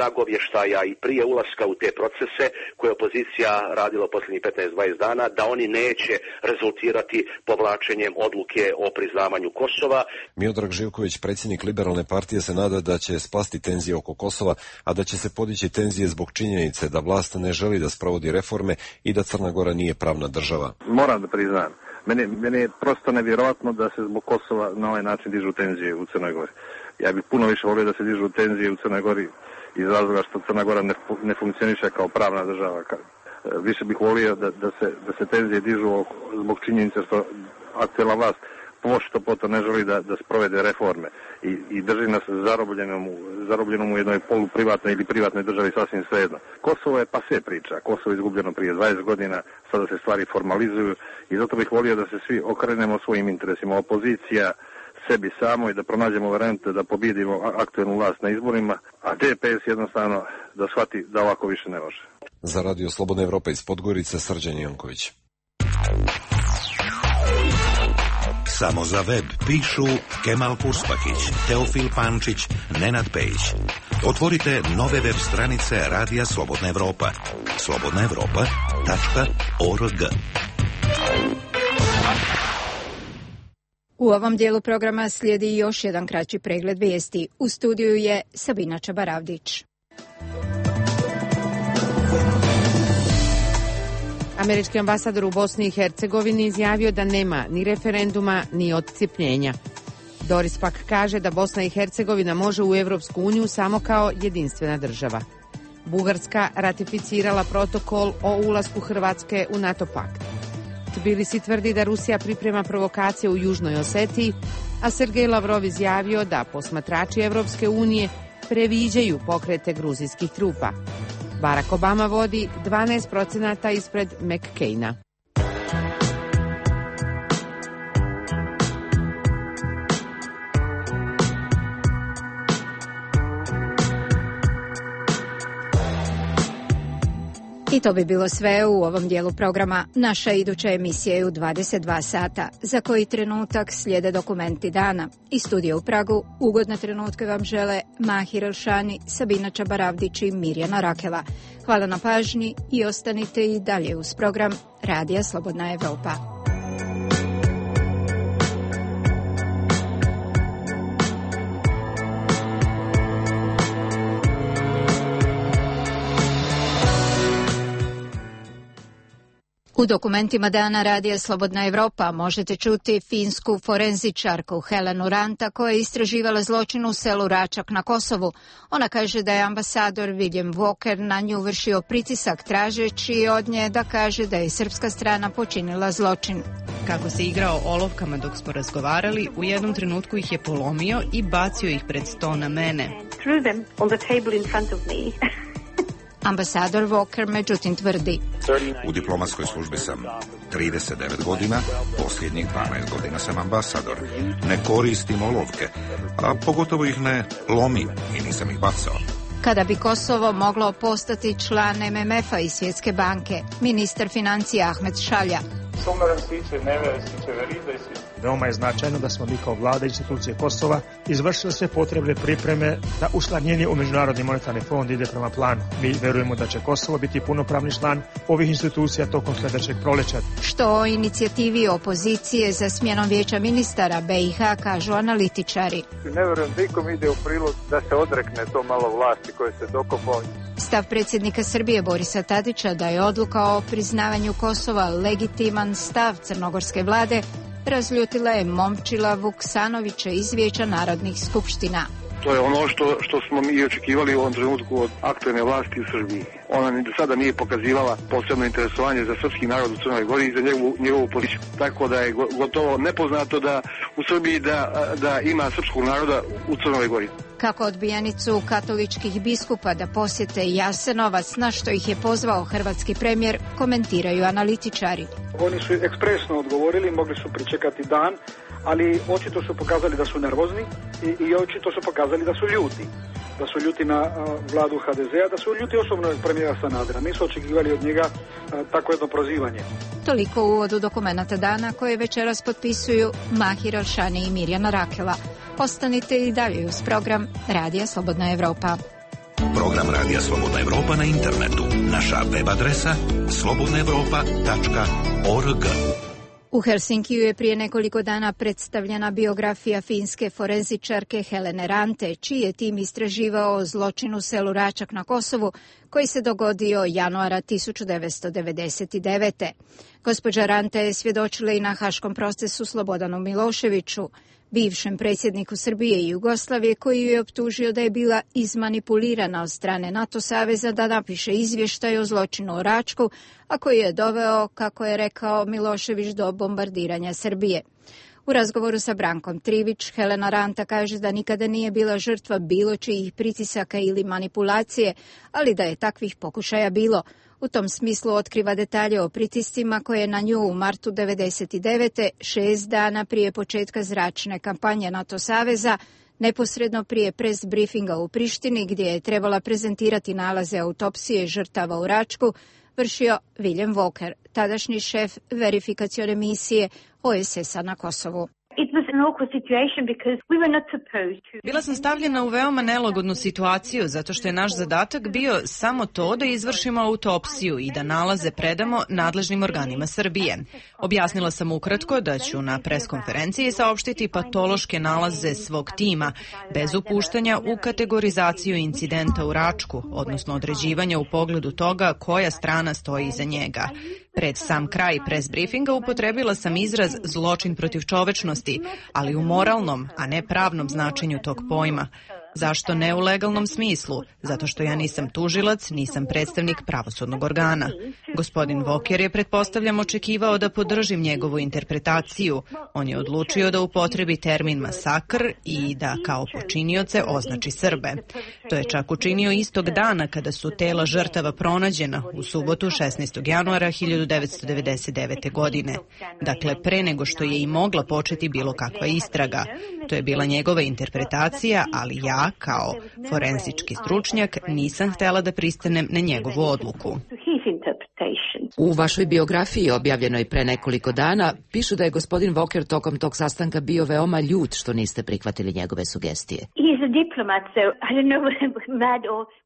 nagovještaja i prije ulaska u te procese koje opozicija radila posljednjih 15-20 dana, da oni neće rezultirati povlačenjem odluke o priznavanju Kosova. Miodrag Živković, predsjednik Liberalne partije, se nada da će splasti tenzije oko Kosova, a da će se podići tenzije zbog činjenice da vlast ne želi da sprovodi reforme i da Crna Gora nije pravna država. Moram da priznam, meni je prosto nevjerojatno da se zbog Kosova na ovaj način dižu tenzije u Crnoj Gori. Ja bih puno više volio da se dižu tenzije u Crnoj Gori iz razloga što Crna Gora ne funkcioniše kao pravna država. Više bih volio da se tenzije dižu zbog činjenice što aktuelna vlast pošto poto ne želi da sprovede reforme i drži nas zarobljenom u jednoj poluprivatnoj ili privatnoj državi sasvim svejedno. Kosovo je pase priča. Kosovo je izgubljeno prije 20 godina, sada se stvari formalizuju i zato bih volio da se svi okrenemo svojim interesima. Opozicija sebi samo i da pronađemo varijante da pobjedimo aktuelnu vlast na izborima, a DPS jednostavno da shvati da ovako više ne može. Za Radio Slobodna Evropa iz Podgorice, Srđan Janković. Samo za web pišu Kemal Purspakić, Teofil Pančić, Nenad Pejić. Otvorite nove web stranice Radija Slobodna Evropa. slobodnaevropa.org. U ovom dijelu programa slijedi još jedan kraći pregled vijesti. U studiju je Sabina Čabaravdić. Američki ambasador u Bosni i Hercegovini izjavio da nema ni referenduma ni odcijepljenja. Doris pak kaže da Bosna i Hercegovina može u Evropsku uniju samo kao jedinstvena država. Bugarska ratificirala protokol o ulasku Hrvatske u NATO pakt. Tbilisi tvrdi da Rusija priprema provokacije u Južnoj Osetiji, a Sergej Lavrov izjavio da posmatrači Evropske unije previđaju pokrete gruzijskih trupa. Barack Obama vodi 12% ispred McCaina. I to bi bilo sve u ovom dijelu programa. Naša iduća emisija je u 22 sata. Za koji trenutak slijede dokumenti dana. Iz studija u Pragu ugodne trenutke vam žele Mahir Elšani, Sabina Čabaravdić i Mirjana Rakela. Hvala na pažnji i ostanite i dalje uz program Radija Slobodna Evropa. U dokumentima dana Radija Slobodna Evropa možete čuti finsku forenzičarku Helenu Ranta koja je istraživala zločin u selu Račak na Kosovu. Ona kaže da je ambasador William Walker na nju vršio pritisak tražeći od nje da kaže da je srpska strana počinila zločin. Kako se igrao olovkama dok smo razgovarali, u jednom trenutku ih je polomio i bacio ih pred sto na mene. Ambasador Walker međutim tvrdi: U diplomatskoj službi sam 39 godina, posljednjih 12 godina sam ambasador. Ne koristim olovke, a pogotovo ih ne lomim i nisam ih bacao. Kada bi Kosovo moglo postati član MMF-a i Svjetske banke, ministar financija Ahmed Šalja. Veoma je značajno da smo mi kao vlada institucije Kosova izvršili sve potrebne pripreme da učlanjenje u Međunarodni monetarni fond ide prema planu. Mi verujemo da će Kosovo biti punopravni član ovih institucija tokom sljedećeg proleća. Što o inicijativi opozicije za smjenom vijeća ministara BiH kažu analitičari. Ne verujem da ikom ide u prilog da se odrekne to malo vlasti koje se dokopao. Stav predsjednika Srbije Borisa Tadića da je odluka o priznavanju Kosova legitiman stav crnogorske vlade razljutila je Momčila Vuksanovića iz Vijeća narodnih skupština. To je ono što smo mi očekivali u ovom trenutku od aktualne vlasti u Srbiji. Ona ni do sada nije pokazivala posebno interesovanje za srpski narod u Crnoj Gori i za njegovu politiku. Tako da je gotovo nepoznato da u Srbiji da ima srpskog naroda u Crnoj Gori. Kako odbijanicu katoličkih biskupa da posjete Jasenovac, na što ih je pozvao hrvatski premijer, komentiraju analitičari. Oni su ekspresno odgovorili, mogli su pričekati dan, ali očito su pokazali da su nervozni i očito su pokazali da su ljuti. Da su ljuti na vladu HDZ-a, da su ljuti osobno od premijera Sanadera. Nisu očekivali od njega tako jedno prozivanje. Toliko u uvodu dokumenata dana koje večeras potpisuju Mahir Elšani i Mirjana Rakela. Ostanite i dalje uz program Radija Slobodna Evropa. Program Radija Slobodna Evropa na internetu. Naša web adresa slobodnaevropa.org. U Helsinkiju je prije nekoliko dana predstavljena biografija finske forenzičarke Helene Rante, čiji je tim istraživao zločin u selu Račak na Kosovu, koji se dogodio januara 1999. Gospođa Rante je svjedočila i na haškom procesu Slobodanu Miloševiću, bivšem predsjedniku Srbije i Jugoslavije, koji ju je optužio da je bila izmanipulirana od strane NATO saveza da napiše izvještaj o zločinu u Račku, a koji je doveo, kako je rekao Milošević, do bombardiranja Srbije. U razgovoru sa Brankom Trivić, Helena Ranta kaže da nikada nije bila žrtva bilo čijih pritisaka ili manipulacije, ali da je takvih pokušaja bilo. U tom smislu otkriva detalje o pritiscima koje je na nju u martu 1999. 6 dana prije početka zračne kampanje NATO saveza, neposredno prije press briefinga u Prištini, gdje je trebala prezentirati nalaze autopsije žrtava u Račku, vršio William Walker, tadašnji šef verifikacione misije OSS-a na Kosovu. Bila sam stavljena u veoma nelagodnu situaciju zato što je naš zadatak bio samo to da izvršimo autopsiju i da nalaze predamo nadležnim organima Srbije. Objasnila sam ukratko da ću na preskonferenciji saopštiti patološke nalaze svog tima, bez upuštanja u kategorizaciju incidenta u Račku, odnosno određivanja u pogledu toga koja strana stoji iza njega. Pred sam kraj press briefinga upotrebila sam izraz zločin protiv čovečnosti, ali u moralnom, a ne pravnom značenju tog pojma. Zašto ne u legalnom smislu? Zato što ja nisam tužilac, nisam predstavnik pravosudnog organa. Gospodin Walker je, pretpostavljam, očekivao da podržim njegovu interpretaciju. On je odlučio da upotrebi termin masakr i da kao počinioce označi Srbe. To je čak učinio istog dana kada su tela žrtava pronađena u subotu 16. januara 1999. godine. Dakle, pre nego što je i mogla početi bilo kakva istraga. To je bila njegova interpretacija, ali ja ja, kao forenzički stručnjak, nisam htela da pristanem na njegovu odluku. U vašoj biografiji, objavljenoj pre nekoliko dana, pišu da je gospodin Walker tokom tog sastanka bio veoma ljut što niste prihvatili njegove sugestije.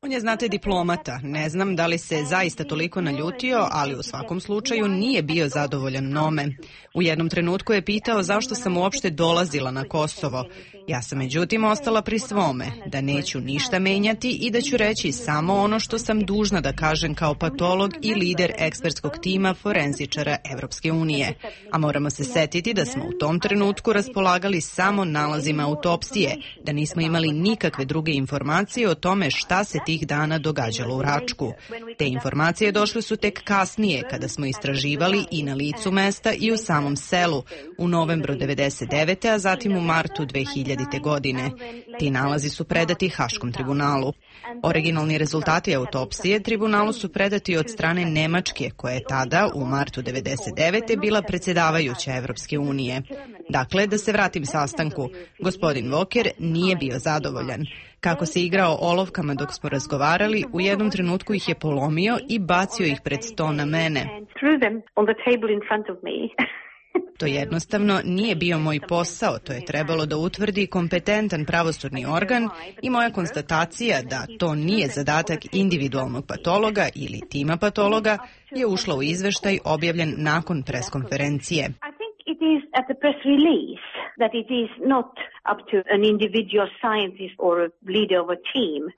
On je, znate, diplomata. Ne znam da li se zaista toliko naljutio, ali u svakom slučaju nije bio zadovoljan mnome. U jednom trenutku je pitao zašto sam uopšte dolazila na Kosovo. Ja sam međutim ostala pri svome, da neću ništa menjati i da ću reći samo ono što sam dužna da kažem kao patolog i lider ekspertskog tima forenzičara Evropske unije. A moramo se setiti da smo u tom trenutku raspolagali samo nalazima autopsije, da nismo imali nikakve druge informacije o tome šta se tih dana događalo u Račku. Te informacije došle su tek kasnije, kada smo istraživali i na licu mesta i u samom selu, u novembru 1999. a zatim u martu 2000. godine. Ti nalazi su predati Haškom tribunalu. Originalni rezultati autopsije tribunalu su predati od strane Nemačke, koja je tada, u martu 1999. bila predsjedavajuća Evropske unije. Dakle, da se vratim sastanku, gospodin Walker nije bio zadovoljan. Kako se igrao olovkama dok smo razgovarali, u jednom trenutku ih je polomio i bacio ih pred sto na mene. To jednostavno nije bio moj posao, to je trebalo da utvrdi kompetentan pravosudni organ i moja konstatacija da to nije zadatak individualnog patologa ili tima patologa je ušla u izveštaj objavljen nakon preskonferencije.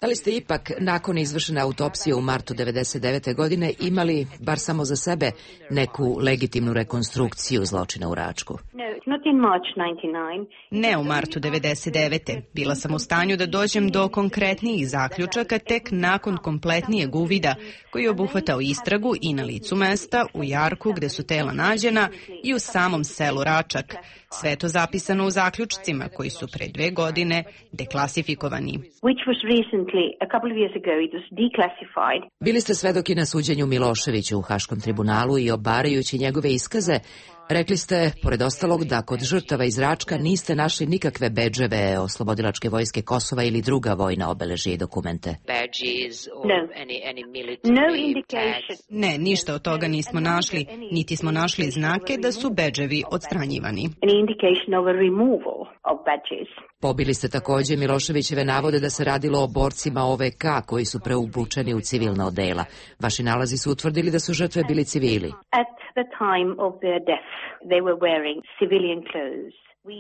Da li ste ipak nakon izvršene autopsije u martu 1999. godine imali, bar samo za sebe, neku legitimnu rekonstrukciju zločina u Račku? Ne u martu 1999. Bila sam u stanju da dođem do konkretnijih zaključaka tek nakon kompletnijeg uvida koji je obuhvatao istragu i na licu mesta, u Jarku gde su tela nađena i u samom selu Račak. Sve to zapisano u zaključcima koji su pre 2 godine deklasifikovani. Bili ste svedoki na suđenju Miloševiću u Haškom tribunalu i obarajući njegove iskaze, rekli ste, pored ostalog, da kod žrtava iz Račka niste našli nikakve bedževe Oslobodilačke vojske Kosova ili druga vojna obeležja i dokumente. Ne, ništa od toga nismo našli, niti smo našli znake da su bedževi odstranjivani. Pobili ste također Miloševićeve navode da se radilo o borcima OVK koji su preubučeni u civilna odela. Vaši nalazi su utvrdili da su žrtve bili civili.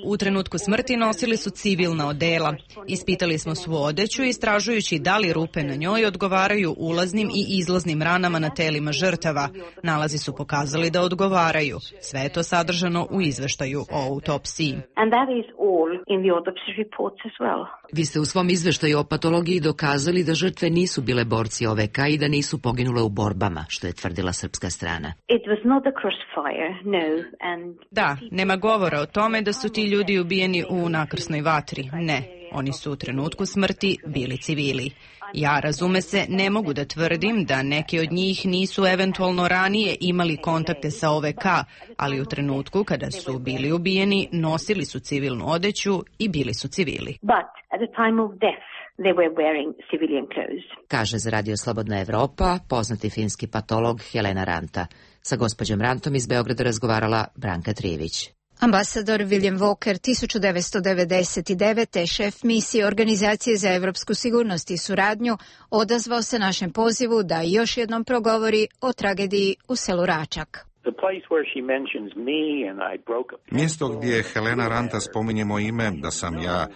U trenutku smrti nosili su civilna odela. Ispitali smo svu odeću istražujući da li rupe na njoj odgovaraju ulaznim i izlaznim ranama na telima žrtava. Nalazi su pokazali da odgovaraju. Sve je to sadržano u izveštaju o autopsiji. Vi ste u svom izveštaju o patologiji dokazali da žrtve nisu bile borci OVK i da nisu poginule u borbama, što je tvrdila srpska strana. Da, nema govora o tome da su ti ljudi ubijeni u nakrsnoj vatri. Ne, oni su u trenutku smrti bili civili. Ja, razume se, ne mogu da tvrdim da neki od njih nisu eventualno ranije imali kontakte sa OVK, ali u trenutku kada su bili ubijeni nosili su civilnu odeću i bili su civili. Kaže za Radio Slobodna Evropa poznati finski patolog Helena Ranta. Sa gospođom Rantom iz Beograda razgovarala Branka Trijević. Ambasador William Walker 1999. šef misije Organizacije za evropsku sigurnost i suradnju odazvao se našem pozivu da još jednom progovori o tragediji u selu Račak. Mjesto gdje Helena Ranta spominje moje ime, da sam ja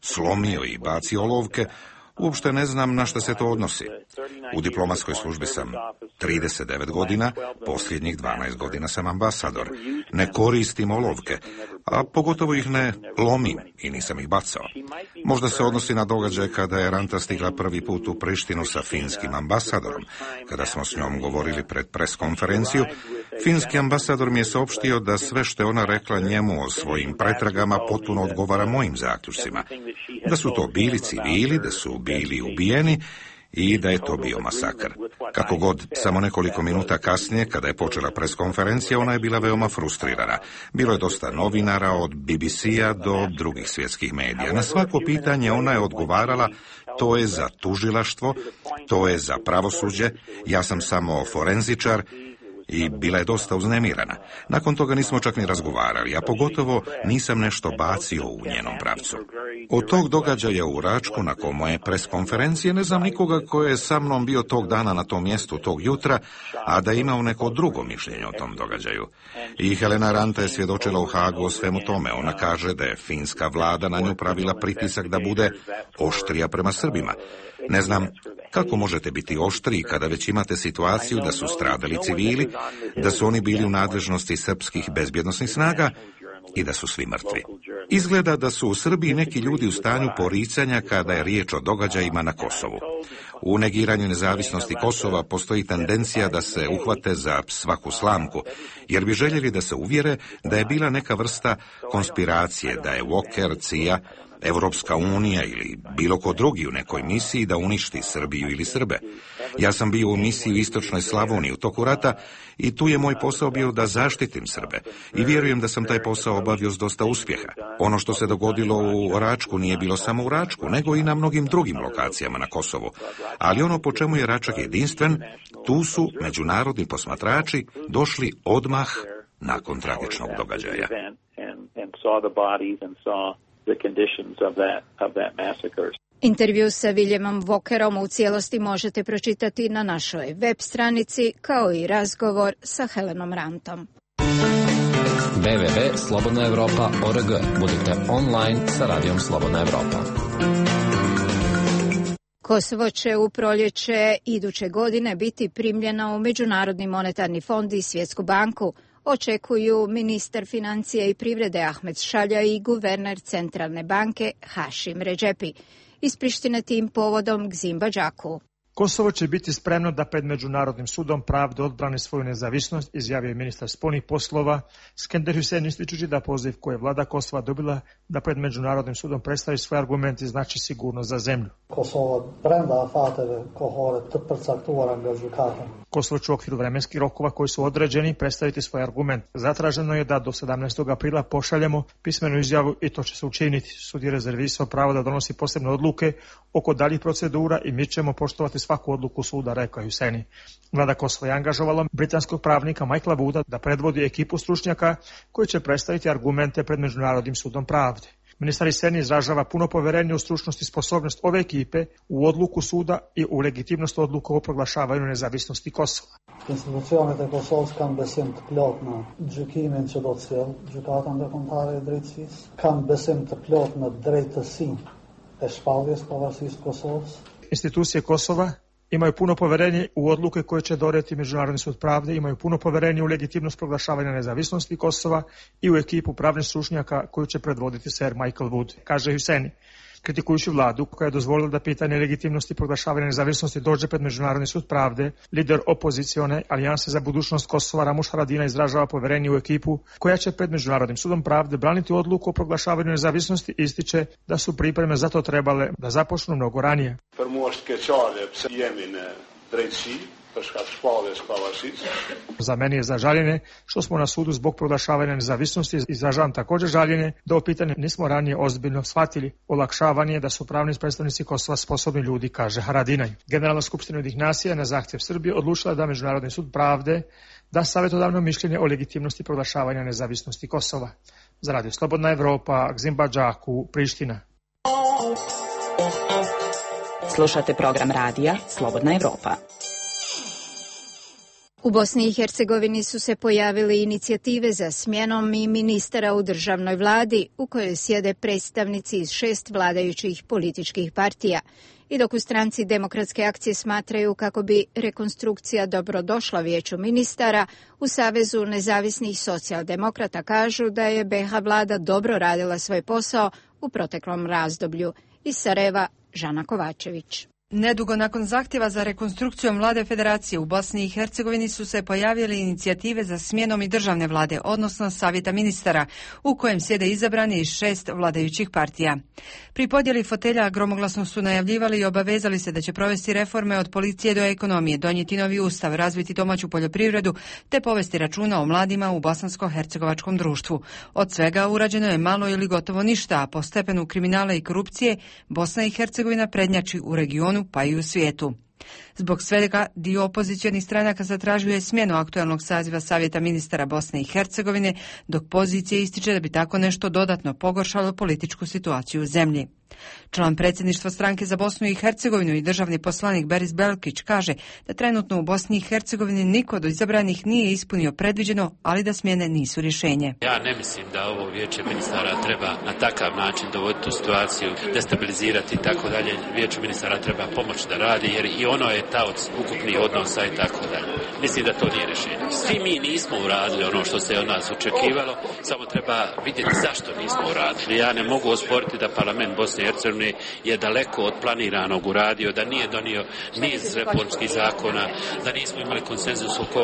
slomio i bacio olovke, uopšte ne znam na što se to odnosi. U diplomatskoj službi sam 39 godina, posljednjih 12 godina sam ambasador. Ne koristim olovke, a pogotovo ih ne lomim i nisam ih bacao. Možda se odnosi na događaj kada je Ranta stigla prvi put u Prištinu sa finskim ambasadorom. Kada smo s njom govorili pred preskonferenciju, finski ambasador mi je saopštio da sve što je ona rekla njemu o svojim pretragama potpuno odgovara mojim zaključcima. Da su to bili civili, da su bili ubijeni i da je to bio masakr. Kako god, samo nekoliko minuta kasnije, kada je počela preskonferencija, ona je bila veoma frustrirana. Bilo je dosta novinara, od BBC-a do drugih svjetskih medija. Na svako pitanje ona je odgovarala: to je za tužilaštvo, to je za pravosuđe, ja sam samo forenzičar, i bila je dosta uznemirana. Nakon toga nismo čak ni razgovarali, a pogotovo nisam nešto bacio u njenom pravcu. Od tog događaja u Račku, nakon moje preskonferencije, ne znam nikoga ko je sa mnom bio tog dana na tom mjestu tog jutra, a da je imao neko drugo mišljenje o tom događaju. I Helena Ranta je svjedočila u Hagu o svemu tome. Ona kaže da je finska vlada na nju pravila pritisak da bude oštrija prema Srbima. Ne znam kako možete biti oštriji kada već imate situaciju da su stradali civili, da su oni bili u nadležnosti srpskih bezbjednosnih snaga i da su svi mrtvi. Izgleda da su u Srbiji neki ljudi u stanju poricanja kada je riječ o događajima na Kosovu. U negiranju nezavisnosti Kosova postoji tendencija da se uhvate za svaku slamku, jer bi željeli da se uvjere da je bila neka vrsta konspiracije, da je Walker, CIA, Evropska unija ili bilo ko drugi u nekoj misiji da uništi Srbiju ili Srbe. Ja sam bio u misiji u Istočnoj Slavoniji u toku rata i tu je moj posao bio da zaštitim Srbe. I vjerujem da sam taj posao obavio s dosta uspjeha. Ono što se dogodilo u Račku nije bilo samo u Račku, nego i na mnogim drugim lokacijama na Kosovu. Ali ono po čemu je Račak jedinstven, tu su međunarodni posmatrači došli odmah nakon tragičnog događaja. Intervju sa Williamom Walkerom u cijelosti možete pročitati na našoj web stranici, kao i razgovor sa Helenom Rantom. www.slobodnaevropa.org. Budite online sa radijom Slobodna Evropa. Kosovo će u proljeće iduće godine biti primljeno u Međunarodni monetarni fond i Svjetsku banku, očekuju ministar financija i privrede Ahmed Šalja i guverner Centralne banke Hašim Redžepi. Iz Prištine tim povodom Gzim Badžaku. Kosovo će biti spremno da pred Međunarodnim sudom pravde odbrani svoju nezavisnost, izjavio je ministar spoljnih poslova Skender Hüseyin, ističući da poziv koji je vlada Kosova dobila da pred Međunarodnim sudom predstavi svoje argumente znači sigurnost za zemlju. Kosovo će u okviru vremenskih rokova koji su određeni predstaviti svoj argument. Zatraženo je da do 17. aprila pošaljemo pismenu izjavu i to će se učiniti. Sud je rezervisao pravo da donosi posebne odluke oko daljih procedura i mi ćemo poštovati svaku odluku suda, rekao je Hüseyin. Vlada Kosova je angažovala britanskog pravnika Michaela Wooda da predvodi ekipu stručnjaka koji će predstaviti argumente pred Međunarodnim sudom pravde. Ministar Hüseyin izražava puno povjerenje u stručnost i sposobnost ove ekipe, u odluku suda i u legitimnost odluka o proglašavanju nezavisnosti Kosova. Institucionet e Kosovës kanë besim të plot në gjykimin që do të sjellë gjykata ndërkombëtare e drejtësisë, kanë besim të plot në drejtësinë e shpalljes pavarësisë të Kosovës. Institucije Kosova imaju puno povjerenje u odluke koje će donijeti Međunarodni sud pravde, imaju puno povjerenje u legitimnost proglašavanja nezavisnosti Kosova i u ekipu pravnih stručnjaka koju će predvoditi Sir Michael Wood, kaže Hüseyin. Kritikujući vladu koja je dozvolila da pitanje legitimnosti proglašavanja nezavisnosti dođe pred Međunarodni sud pravde, lider opozicione Alijanse za budućnost Kosova Ramush Haradinaj izražava povjerenje u ekipu koja će pred Međunarodnim sudom pravde braniti odluku o proglašavanju nezavisnosti i ističe da su pripreme za to trebale da započnu mnogo ranije. Za meni je za žaljenje što smo na sudu zbog proglašavanja nezavisnosti. Izražavam također žaljenje da ovo pitanje nismo ranije ozbiljno shvatili. Olakšavanje je da su pravni predstavnici Kosova sposobni ljudi, kaže Haradinaj. Generalna skupština Ujedinjenih nacija na zahtjev Srbije odlučila da Međunarodni sud pravde da savjetodavno mišljenje o legitimnosti proglašavanja nezavisnosti Kosova. Za Radio Slobodna Evropa, Gzim Badžaku, Priština. Slušate program radija Slobodna Evropa. U Bosni i Hercegovini su se pojavili inicijative za smjenom i ministara u državnoj vladi u kojoj sjede predstavnici iz 6 vladajućih političkih partija. I dok u stranci Demokratske akcije smatraju kako bi rekonstrukcija dobrodošla vijeću ministara, u Savezu nezavisnih socijaldemokrata kažu da je BiH vlada dobro radila svoj posao u proteklom razdoblju. Iz Sarajeva, Žana Kovačević. Nedugo nakon zahtjeva za rekonstrukcijom vlade federacije u Bosni i Hercegovini su se pojavile inicijative za smjenom i državne vlade, odnosno savjeta ministara, u kojem sjede izabrani iz 6 vladajućih partija. Pri podjeli fotelja gromoglasno su najavljivali i obavezali se da će provesti reforme od policije do ekonomije, donijeti novi ustav, razviti domaću poljoprivredu te povesti računa o mladima u bosansko-hercegovačkom društvu. Od svega urađeno je malo ili gotovo ništa, a po stepenu kriminala i korupcije Bosna i Hercegovina prednjači u regionu pa i u svijetu. Zbog svega dio opozicionih stranaka zatražio je smjenu aktualnog saziva Savjeta ministara Bosne i Hercegovine, dok pozicija ističe da bi tako nešto dodatno pogoršalo političku situaciju u zemlji. Član predsjedništva stranke za Bosnu i Hercegovinu i državni poslanik Beris Belkić kaže da trenutno u Bosni i Hercegovini niko od izabranih nije ispunio predviđeno, ali da smjene nisu rješenje. Ja ne mislim da ovo vijeće ministara treba na takav način dovoditi u situaciju, destabilizirati i tako dalje. Vijeće ministara treba pomoći da radi jer i ono je taoc ukupnih odnosa i tako dalje. Mislim da to nije rješenje. Svi mi nismo uradili ono što se od nas očekivalo, samo treba vidjeti zašto nismo uradili. Ja ne mogu osporiti da parlament Bosne i Hercegovine je daleko od planiranog uradio, da nije donio niz reformskih zakona, da nismo imali konsenzus oko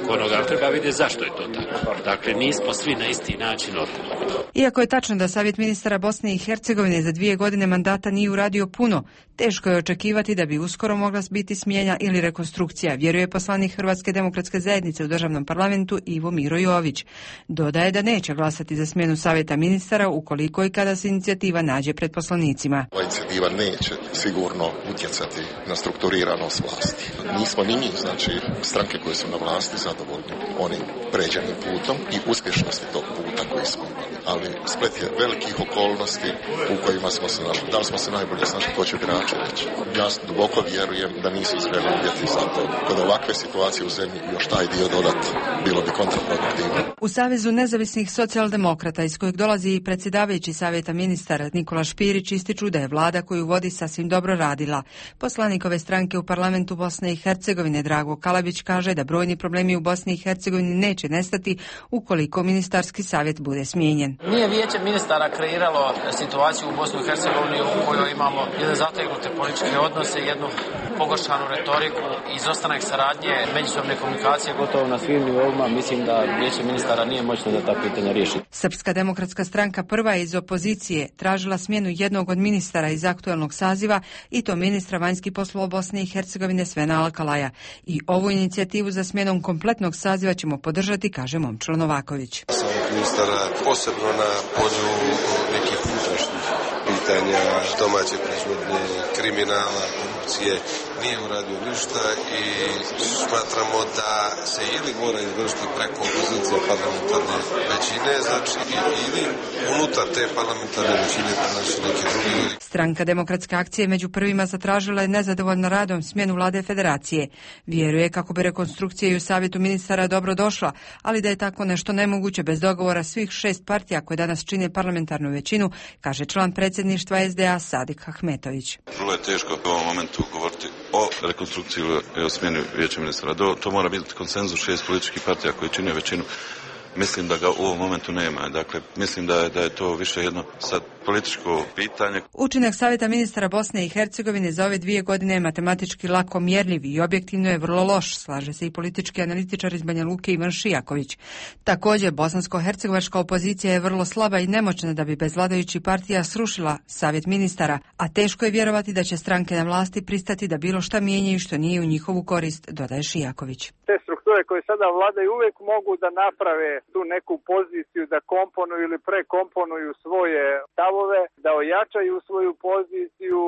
onoga, ali treba vidjeti zašto je to tako. Dakle, nismo svi na isti način odgovorni. Iako je tačno da Savjet ministara Bosne i Hercegovine za 2 godine mandata nije uradio puno, teško je očekivati da bi uskoro mogla biti smjena ili rekonstrukcija, vjeruje poslanik Hrvatske demokratske zajednice u državnom parlamentu Ivo Miro Jović. Dodaje da neće glasati za smjenu Savjeta ministara ukoliko i kada se inicijativa nađe pred poslanicima. Ova inicijativa neće sigurno utjecati na strukturiranost vlasti. Nismo ni mi, znači stranke koje su na vlasti, zadovoljni onim pređenim putom i uspješnosti tog puta koji smo imali. Ali splet je velikih okolnosti u kojima smo se našli. Da li smo se najbolje snašli, to će birači reći. Ja duboko vjerujem da nisu izvreli uvjeti za to. Kod ovakve situacije u zemlji još taj dio dodati bilo bi kontraproduktivno. U Savezu nezavisnih socijaldemokrata, iz kojeg dolazi i predsjedavajući Savjeta ministara Nikola Špirić, ističu da je vlada koju vodi sasvim dobro radila. Poslanik ove stranke u parlamentu Bosne i Hercegovine Drago Kalabić kaže da brojni problemi u Bosni i Hercegovini neće nestati ukoliko ministarski savjet bude smijenjen. Nije vijeće ministara kreiralo situaciju u Bosni i Hercegovini u kojoj imamo jedan zategnute političke odnose, jednu pogoršanu retoriku, izostanak saradnje, međusobne komunikacije gotovo na svim nivoima. Mislim da vijeće ministara nije moćno da ta pitanja riješi. Srpska demokratska stranka prva je iz opozicije tražila smjenu jednog od ministara iz aktualnog saziva i to ministra vanjskih poslova Bosne i Hercegovine Svena Alkalaja. I ovu inicijativu za smjenom kompletnog saziva ćemo podržati, kaže Momčilo Novaković. Ministara posebno na polju nekih unutrašnjih pitanja, domaće proizvodnje, kriminala, korupcije, nije uradio ništa i smatramo da se ili mora izvršiti preko opozicije parlamentarne većine, znači ili unutar te parlamentarne većine pronaći neki drugi. Stranka Demokratske akcije među prvima zatražila je nezadovoljno radom smjenu vlade federacije. Vjeruje kako bi rekonstrukcija i u Savjetu ministara dobro došla, ali da je tako nešto nemoguće bez dogovora svih 6 partija koje danas čine parlamentarnu većinu, kaže član predsjedništva SDA Sadik Ahmetović. Vrlo je teško u ovom momentu govoriti o rekonstrukciji ili o smjeni vijeća ministara. To mora biti konsenzus 6 političkih partija koji čine većinu. Mislim da ga u ovom momentu nema. Dakle, mislim da je to više jedno sad političko pitanje. Učinak Savjeta ministara Bosne i Hercegovine za ove 2 godine je matematički lako mjerljiv i objektivno je vrlo loš, slaže se i politički analitičar iz Banja Luke Ivan Šijaković. Također, bosansko-hercegovačka opozicija je vrlo slaba i nemoćna da bi bez vladajućih partija srušila Savjet ministara, a teško je vjerovati da će stranke na vlasti pristati da bilo šta mijenjaju što nije u njihovu korist, dodaje Šijaković. Te strukture koje sada vladaju uvijek mogu da naprave tu neku poziciju, da komponuju ili prekomponuju svoje stavove, da ojačaju svoju poziciju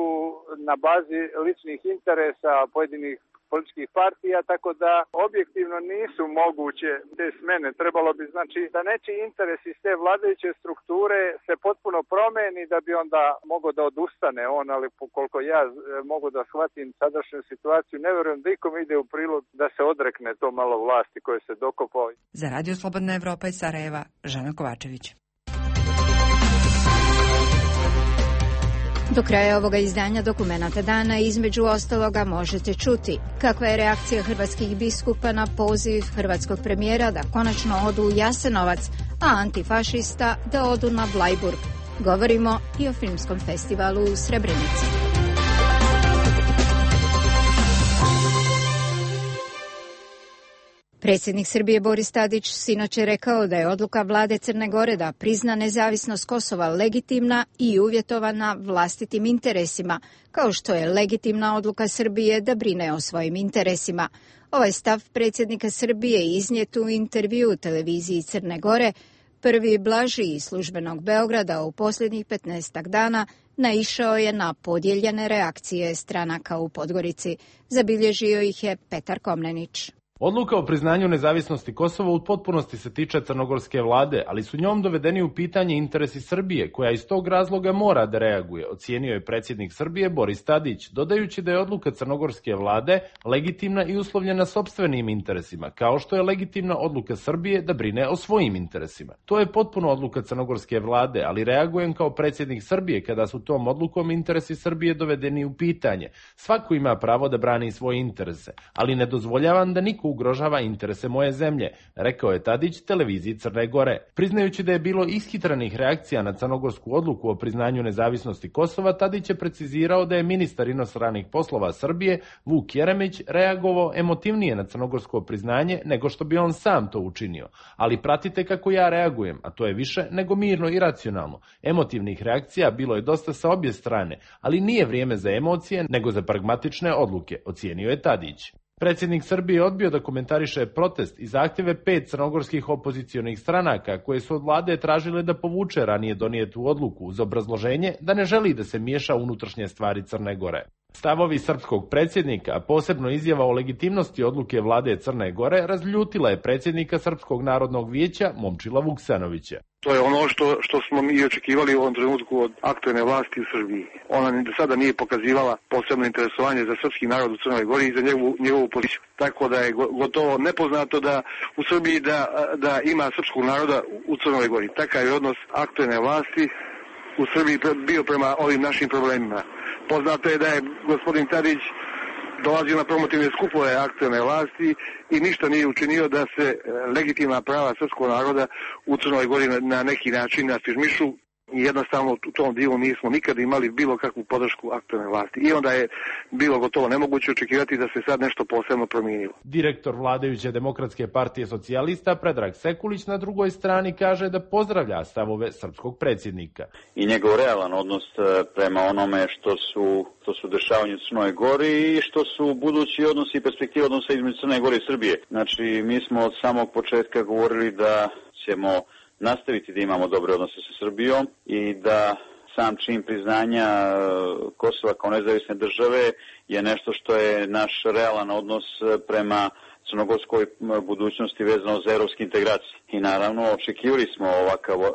na bazi ličnih interesa pojedinih političkih partija, tako da objektivno nisu moguće te smjene. Trebalo bi znači da nečiji interes iz te vladajuće strukture se potpuno promeni da bi onda mogao da odustane on, ali koliko ja mogu da shvatim sadašnju situaciju, ne vjerujem da ikom ide u prilog da se odrekne to malo vlasti koje se dokopao. Za Radio Slobodna Evropa iz Sarajeva, Žana Kovačević. Do kraja ovoga izdanja Dokumenata dana između ostaloga možete čuti kakva je reakcija hrvatskih biskupa na poziv hrvatskog premijera da konačno odu u Jasenovac, a antifašista da odu na Blajburg. Govorimo i o filmskom festivalu u Srebrenici. Predsjednik Srbije Boris Tadić sinoć je rekao da je odluka vlade Crne Gore da prizna nezavisnost Kosova legitimna i uvjetovana vlastitim interesima, kao što je legitimna odluka Srbije da brine o svojim interesima. Ovaj stav predsjednika Srbije iznijet u intervju televiziji Crne Gore, prvi blaži iz službenog Beograda u posljednjih 15 dana, naišao je na podijeljene reakcije stranaka u Podgorici. Zabilježio ih je Petar Komnenić. Odluka o priznanju nezavisnosti Kosova u potpunosti se tiče crnogorske vlade, ali su njom dovedeni u pitanje interesi Srbije, koja iz tog razloga mora da reaguje, ocijenio je predsjednik Srbije Boris Tadić, dodajući da je odluka crnogorske vlade legitimna i uslovljena sopstvenim interesima, kao što je legitimna odluka Srbije da brine o svojim interesima. To je potpuno odluka crnogorske vlade, ali reagujem kao predsjednik Srbije kada su tom odlukom interesi Srbije dovedeni u pitanje. Svako ima pravo da brani svoje interese, ali ne dozvoljavam da niko ugrožava interese moje zemlje, rekao je Tadić televiziji Crne Gore. Priznajući da je bilo ishitranih reakcija na crnogorsku odluku o priznanju nezavisnosti Kosova, Tadić je precizirao da je ministar inostranih poslova Srbije Vuk Jeremić reagovao emotivnije na crnogorsko priznanje nego što bi on sam to učinio. Ali pratite kako ja reagujem, a to je više nego mirno i racionalno. Emotivnih reakcija bilo je dosta sa obje strane, ali nije vrijeme za emocije nego za pragmatične odluke, ocijenio je Tadić. Predsjednik Srbije odbio da komentariše protest i zahtjeve 5 crnogorskih opozicionih stranaka koje su od vlade tražile da povuče ranije donijetu odluku uz obrazloženje da ne želi da se miješa u unutrašnje stvari Crne Gore. Stavovi srpskog predsjednika, a posebno izjava o legitimnosti odluke vlade Crne Gore, razljutila je predsjednika Srpskog narodnog vijeća Momčila Vuksanovića. To je ono što smo mi očekivali u ovom trenutku od aktuelne vlasti u Srbiji. Ona ni do sada nije pokazivala posebno interesovanje za srpski narod u Crnoj Gori i za njegovu politiku. Tako da je gotovo nepoznato da u Srbiji da ima srpskog naroda u Crnoj Gori. Takav je odnos aktuelne vlasti u Srbiji bio prema ovim našim problemima. Poznato je da je gospodin Tadić dolazio na promotivne skupove aktuelne vlasti i ništa nije učinio da se legitimna prava srpskog naroda u Crnoj Gori na neki način afirmišu. I jednostavno u tom dijelu nismo nikada imali bilo kakvu podršku aktuelne vlasti. I onda je bilo gotovo nemoguće očekivati da se sad nešto posebno promijenilo. Direktor vladajuće Demokratske partije socijalista Predrag Sekulić na drugoj strani kaže da pozdravlja stavove srpskog predsjednika. I njegov realan odnos prema onome što su dešavanje u Crnoj Gori i što su budući odnosi i perspektive odnosa između Crne Gore i Srbije. Znači, mi smo od samog početka govorili da ćemo nastaviti da imamo dobre odnose sa Srbijom i da sam čin priznanja Kosova kao nezavisne države je nešto što je naš realan odnos prema crnogorskoj budućnosti vezano za evropske integracije. I naravno očekivali smo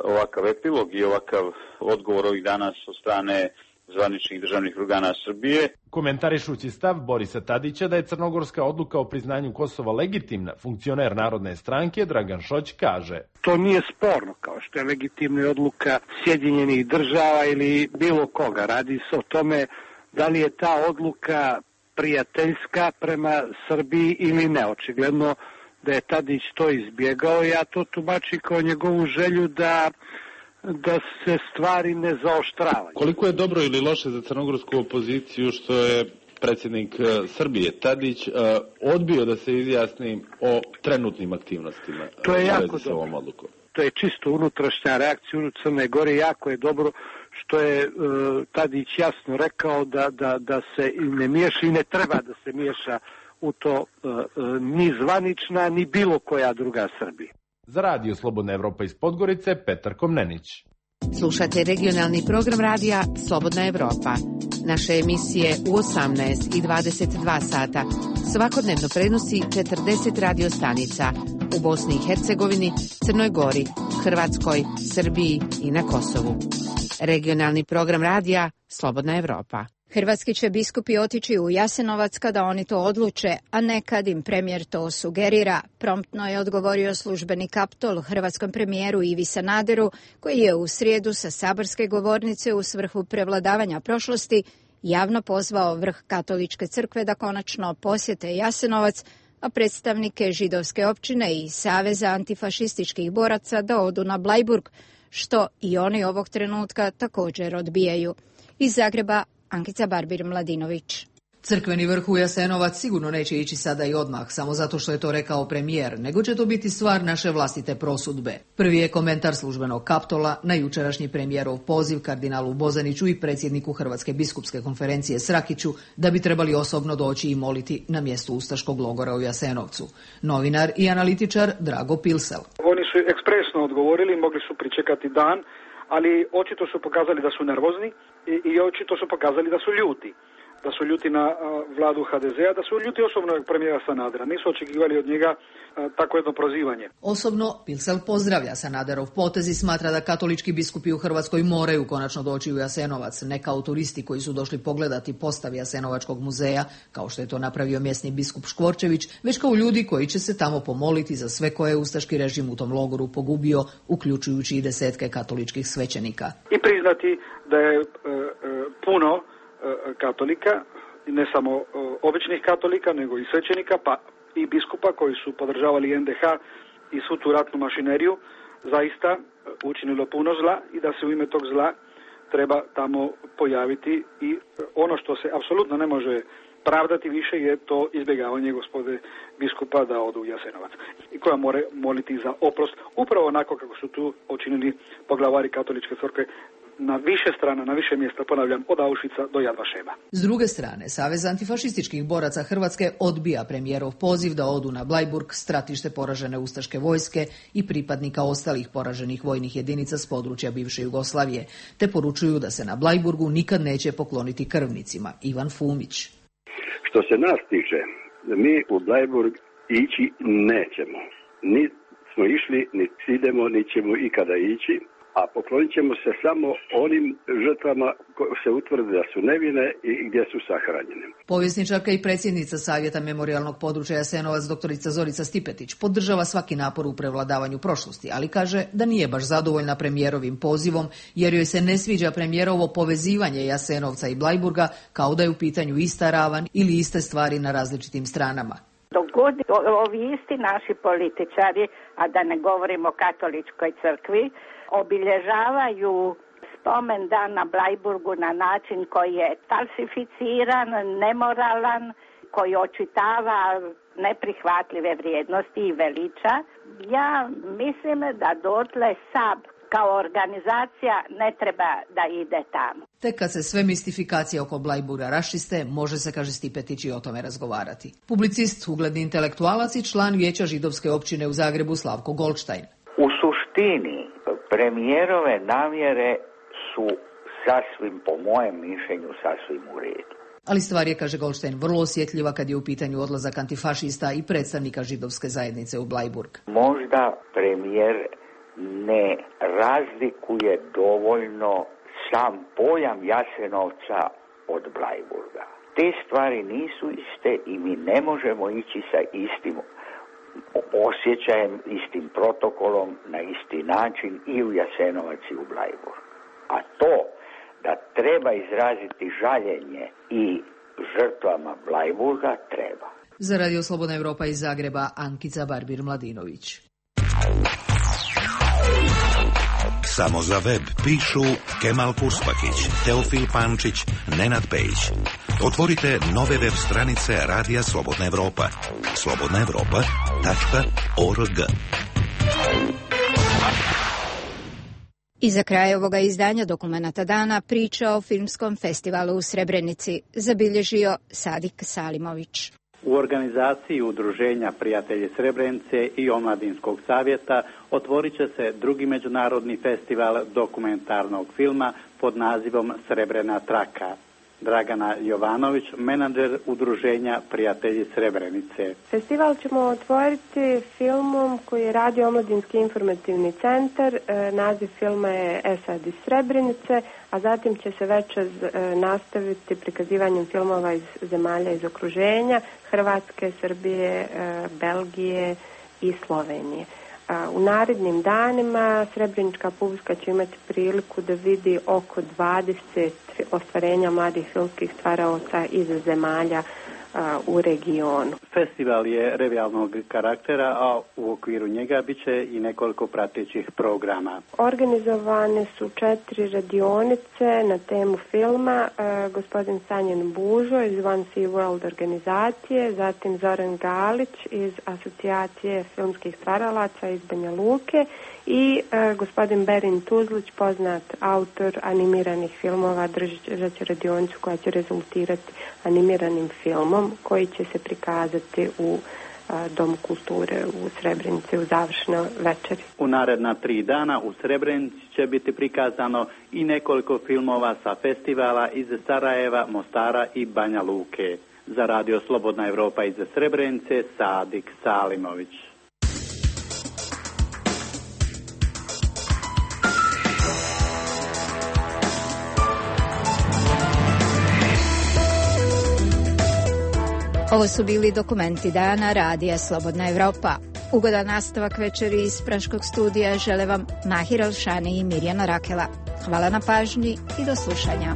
ovakav epilog i ovakav odgovor ovih danas od strane zvaničnih državnih organa Srbije. Komentarišući stav Borisa Tadića da je crnogorska odluka o priznanju Kosova legitimna, funkcioner Narodne stranke Dragan Šoć kaže: To nije sporno, kao što je legitimna odluka Sjedinjenih država ili bilo koga. Radi se o tome da li je ta odluka prijateljska prema Srbiji ili ne. Očigledno da je Tadić to izbjegao. Ja to tumačim kao njegovu želju da se stvari ne zaoštravaju. Koliko je dobro ili loše za crnogorsku opoziciju što je predsjednik Srbije Tadić odbio da se izjasni o trenutnim aktivnostima? To je jako dobro. To je čisto unutrašnja reakcija u Crne Gore. Jako je dobro što je Tadić jasno rekao da se ne miješa i ne treba da se miješa u to ni zvanična ni bilo koja druga Srbija. Za Radio Slobodna Evropa iz Podgorice, Petar Komnenić. Slušate regionalni program radija Slobodna Evropa. Naše emisije u 18 i 22 sata svakodnevno prenosi 40 radio stanica u Bosni i Hercegovini, Crnoj Gori, Hrvatskoj, Srbiji i na Kosovu. Regionalni program radija Slobodna Evropa. Hrvatski će biskupi otići u Jasenovac kada oni to odluče, a ne kad im premijer to sugerira, promptno je odgovorio službeni kaptol hrvatskom premijeru Ivi Sanaderu, koji je u srijedu sa saborske govornice u svrhu prevladavanja prošlosti javno pozvao vrh Katoličke crkve da konačno posjete Jasenovac, a predstavnike židovske općine i Saveza antifašističkih boraca da odu na Blajburg, što i oni ovog trenutka također odbijaju. Iz Zagreba, Ankica Barbir Mladinović. Crkveni vrh u Jasenovac sigurno neće ići sada i odmah, samo zato što je to rekao premijer, nego će to biti stvar naše vlastite prosudbe. Prvi je komentar službenog Kaptola na jučerašnji premijerov poziv kardinalu Bozaniću i predsjedniku Hrvatske biskupske konferencije Srakiću da bi trebali osobno doći i moliti na mjestu ustaškog logora u Jasenovcu. Novinar i analitičar Drago Pilsel. Oni su ekspresno odgovorili, mogli su pričekati dan, ali očito su pokazali da su nervozni i očito su pokazali da su ljuti. Da su ljuti na vladu HDZ-a, da su ljuti osobno premijera Sanadera. Nisu očekivali od njega tako jedno prozivanje. Osobno Pilsel pozdravlja Sanaderov potez i smatra da katolički biskupi u Hrvatskoj moraju konačno doći u Jasenovac, ne kao turisti koji su došli pogledati postav Jasenovačkog muzeja, kao što je to napravio mjesni biskup Škvorčević, već kao ljudi koji će se tamo pomoliti za sve koje je ustaški režim u tom logoru pogubio, uključujući i desetke katoličkih svećenika. I priznati da je puno katolika, ne samo običnih katolika, nego i svećenika, pa i biskupa koji su podržavali NDH i svu tu ratnu mašineriju, zaista učinilo puno zla i da se u ime tog zla treba tamo pojaviti i ono što se apsolutno ne može pravdati više je to izbjegavanje gospode biskupa da odu u Jasenovac i koja mora moliti za oprost, upravo onako kako su tu učinili poglavari katoličke crkve na više strana, na više mjesta, ponavljam, od Auschwitza do Yad Vashema. S druge strane, Savez antifašističkih boraca Hrvatske odbija premijerov poziv da odu na Blajburg, stratište poražene ustaške vojske i pripadnika ostalih poraženih vojnih jedinica s područja bivše Jugoslavije, te poručuju da se na Blajburgu nikad neće pokloniti krvnicima. Ivan Fumić. Što se nas tiče, mi u Blajburg ići nećemo. Ni smo išli, ni idemo, ni ćemo ikada ići. A poklonit ćemo se samo onim žrtvama koje se utvrde da su nevine i gdje su sahranjene. Povjesničarka i predsjednica Savjeta memorijalnog područja Jasenovac doktorica Zorica Stipetić podržava svaki napor u prevladavanju prošlosti, ali kaže da nije baš zadovoljna premijerovim pozivom jer joj se ne sviđa premijerovo povezivanje Jasenovca i Blajburga kao da je u pitanju ista ravan ili iste stvari na različitim stranama. Dok god ovi isti naši političari, a da ne govorimo o katoličkoj crkvi, obilježavaju spomen dan na Blajburgu na način koji je falsificiran, nemoralan, koji očitava neprihvatljive vrijednosti i veliča. Ja mislim da dotle SAB kao organizacija ne treba da ide tamo. Tek kad se sve mistifikacije oko Blajburga raščiste, može se, kaže Stipetić, i o tome razgovarati. Publicist, ugledni intelektualac i član Vijeća židovske općine u Zagrebu Slavko Goldstein. U suštini, premijerove namjere su sasvim, po mojem mišljenju, sasvim u redu. Ali stvar je, kaže Goldstein, vrlo osjetljiva kad je u pitanju odlazak antifašista i predstavnika židovske zajednice u Blajburg. Možda premijer ne razlikuje dovoljno sam pojam Jasenovca od Blajburga. Te stvari nisu iste i mi ne možemo ići sa istim osjećajem, istim protokolom, na isti način i u Jasenovac i u Blajburg. A to da treba izraziti žaljenje i žrtvama Blajburga treba. Za Radio Slobodna Evropa iz Zagreba, Ankica Barbir-Mladinović. Samo za web pišu Kemal Purspakić, Teofil Pančić, Nenad Pejić. Otvorite nove web stranice Radija Slobodna Evropa. slobodnaevropa.org. I za kraj ovoga izdanja Dokumenata dana priča o filmskom festivalu u Srebrenici zabilježio Sadik Salimović. U organizaciji Udruženja Prijatelji Srebrenice i Omladinskog savjeta otvorit će se drugi međunarodni festival dokumentarnog filma pod nazivom Srebrena traka. Dragana Jovanović, menadžer Udruženja Prijatelji Srebrenice. Festival ćemo otvoriti filmom koji radi Omladinski informativni centar. Naziv filma je Esad iz Srebrenice, a zatim će se večer nastaviti prikazivanjem filmova iz zemalja iz okruženja, Hrvatske, Srbije, Belgije i Slovenije. U narednim danima Srebrenička publika će imati priliku da vidi oko 20 ostvarenja mladih filmskih stvaraoca iz zemalja u regionu. Festival je revijalnog karaktera, a u okviru njega bit će i nekoliko pratećih programa. Organizovane su 4 radionice na temu filma. Gospodin Sanjan Bužo iz One Sea World organizacije, zatim Zoran Galić iz Asocijacije filmskih stvaralaca iz Banja Luke i gospodin Berin Tuzlić, poznat autor animiranih filmova, držat će radionicu koja će rezultirati animiranim filmom koji će se prikazati u Domu kulture u Srebrenici u završnoj večeri. U naredna 3 dana u Srebrenici će biti prikazano i nekoliko filmova sa festivala iz Sarajeva, Mostara i Banja Luke. Za Radio Slobodna Evropa iz Srebrenice, Sadik Salimović. Ovo su bili dokumenti dana Radija Slobodna Evropa. Ugodan nastavak večeri iz Praškog studija žele vam Mahir Alšani i Mirjana Rakela. Hvala na pažnji i do slušanja.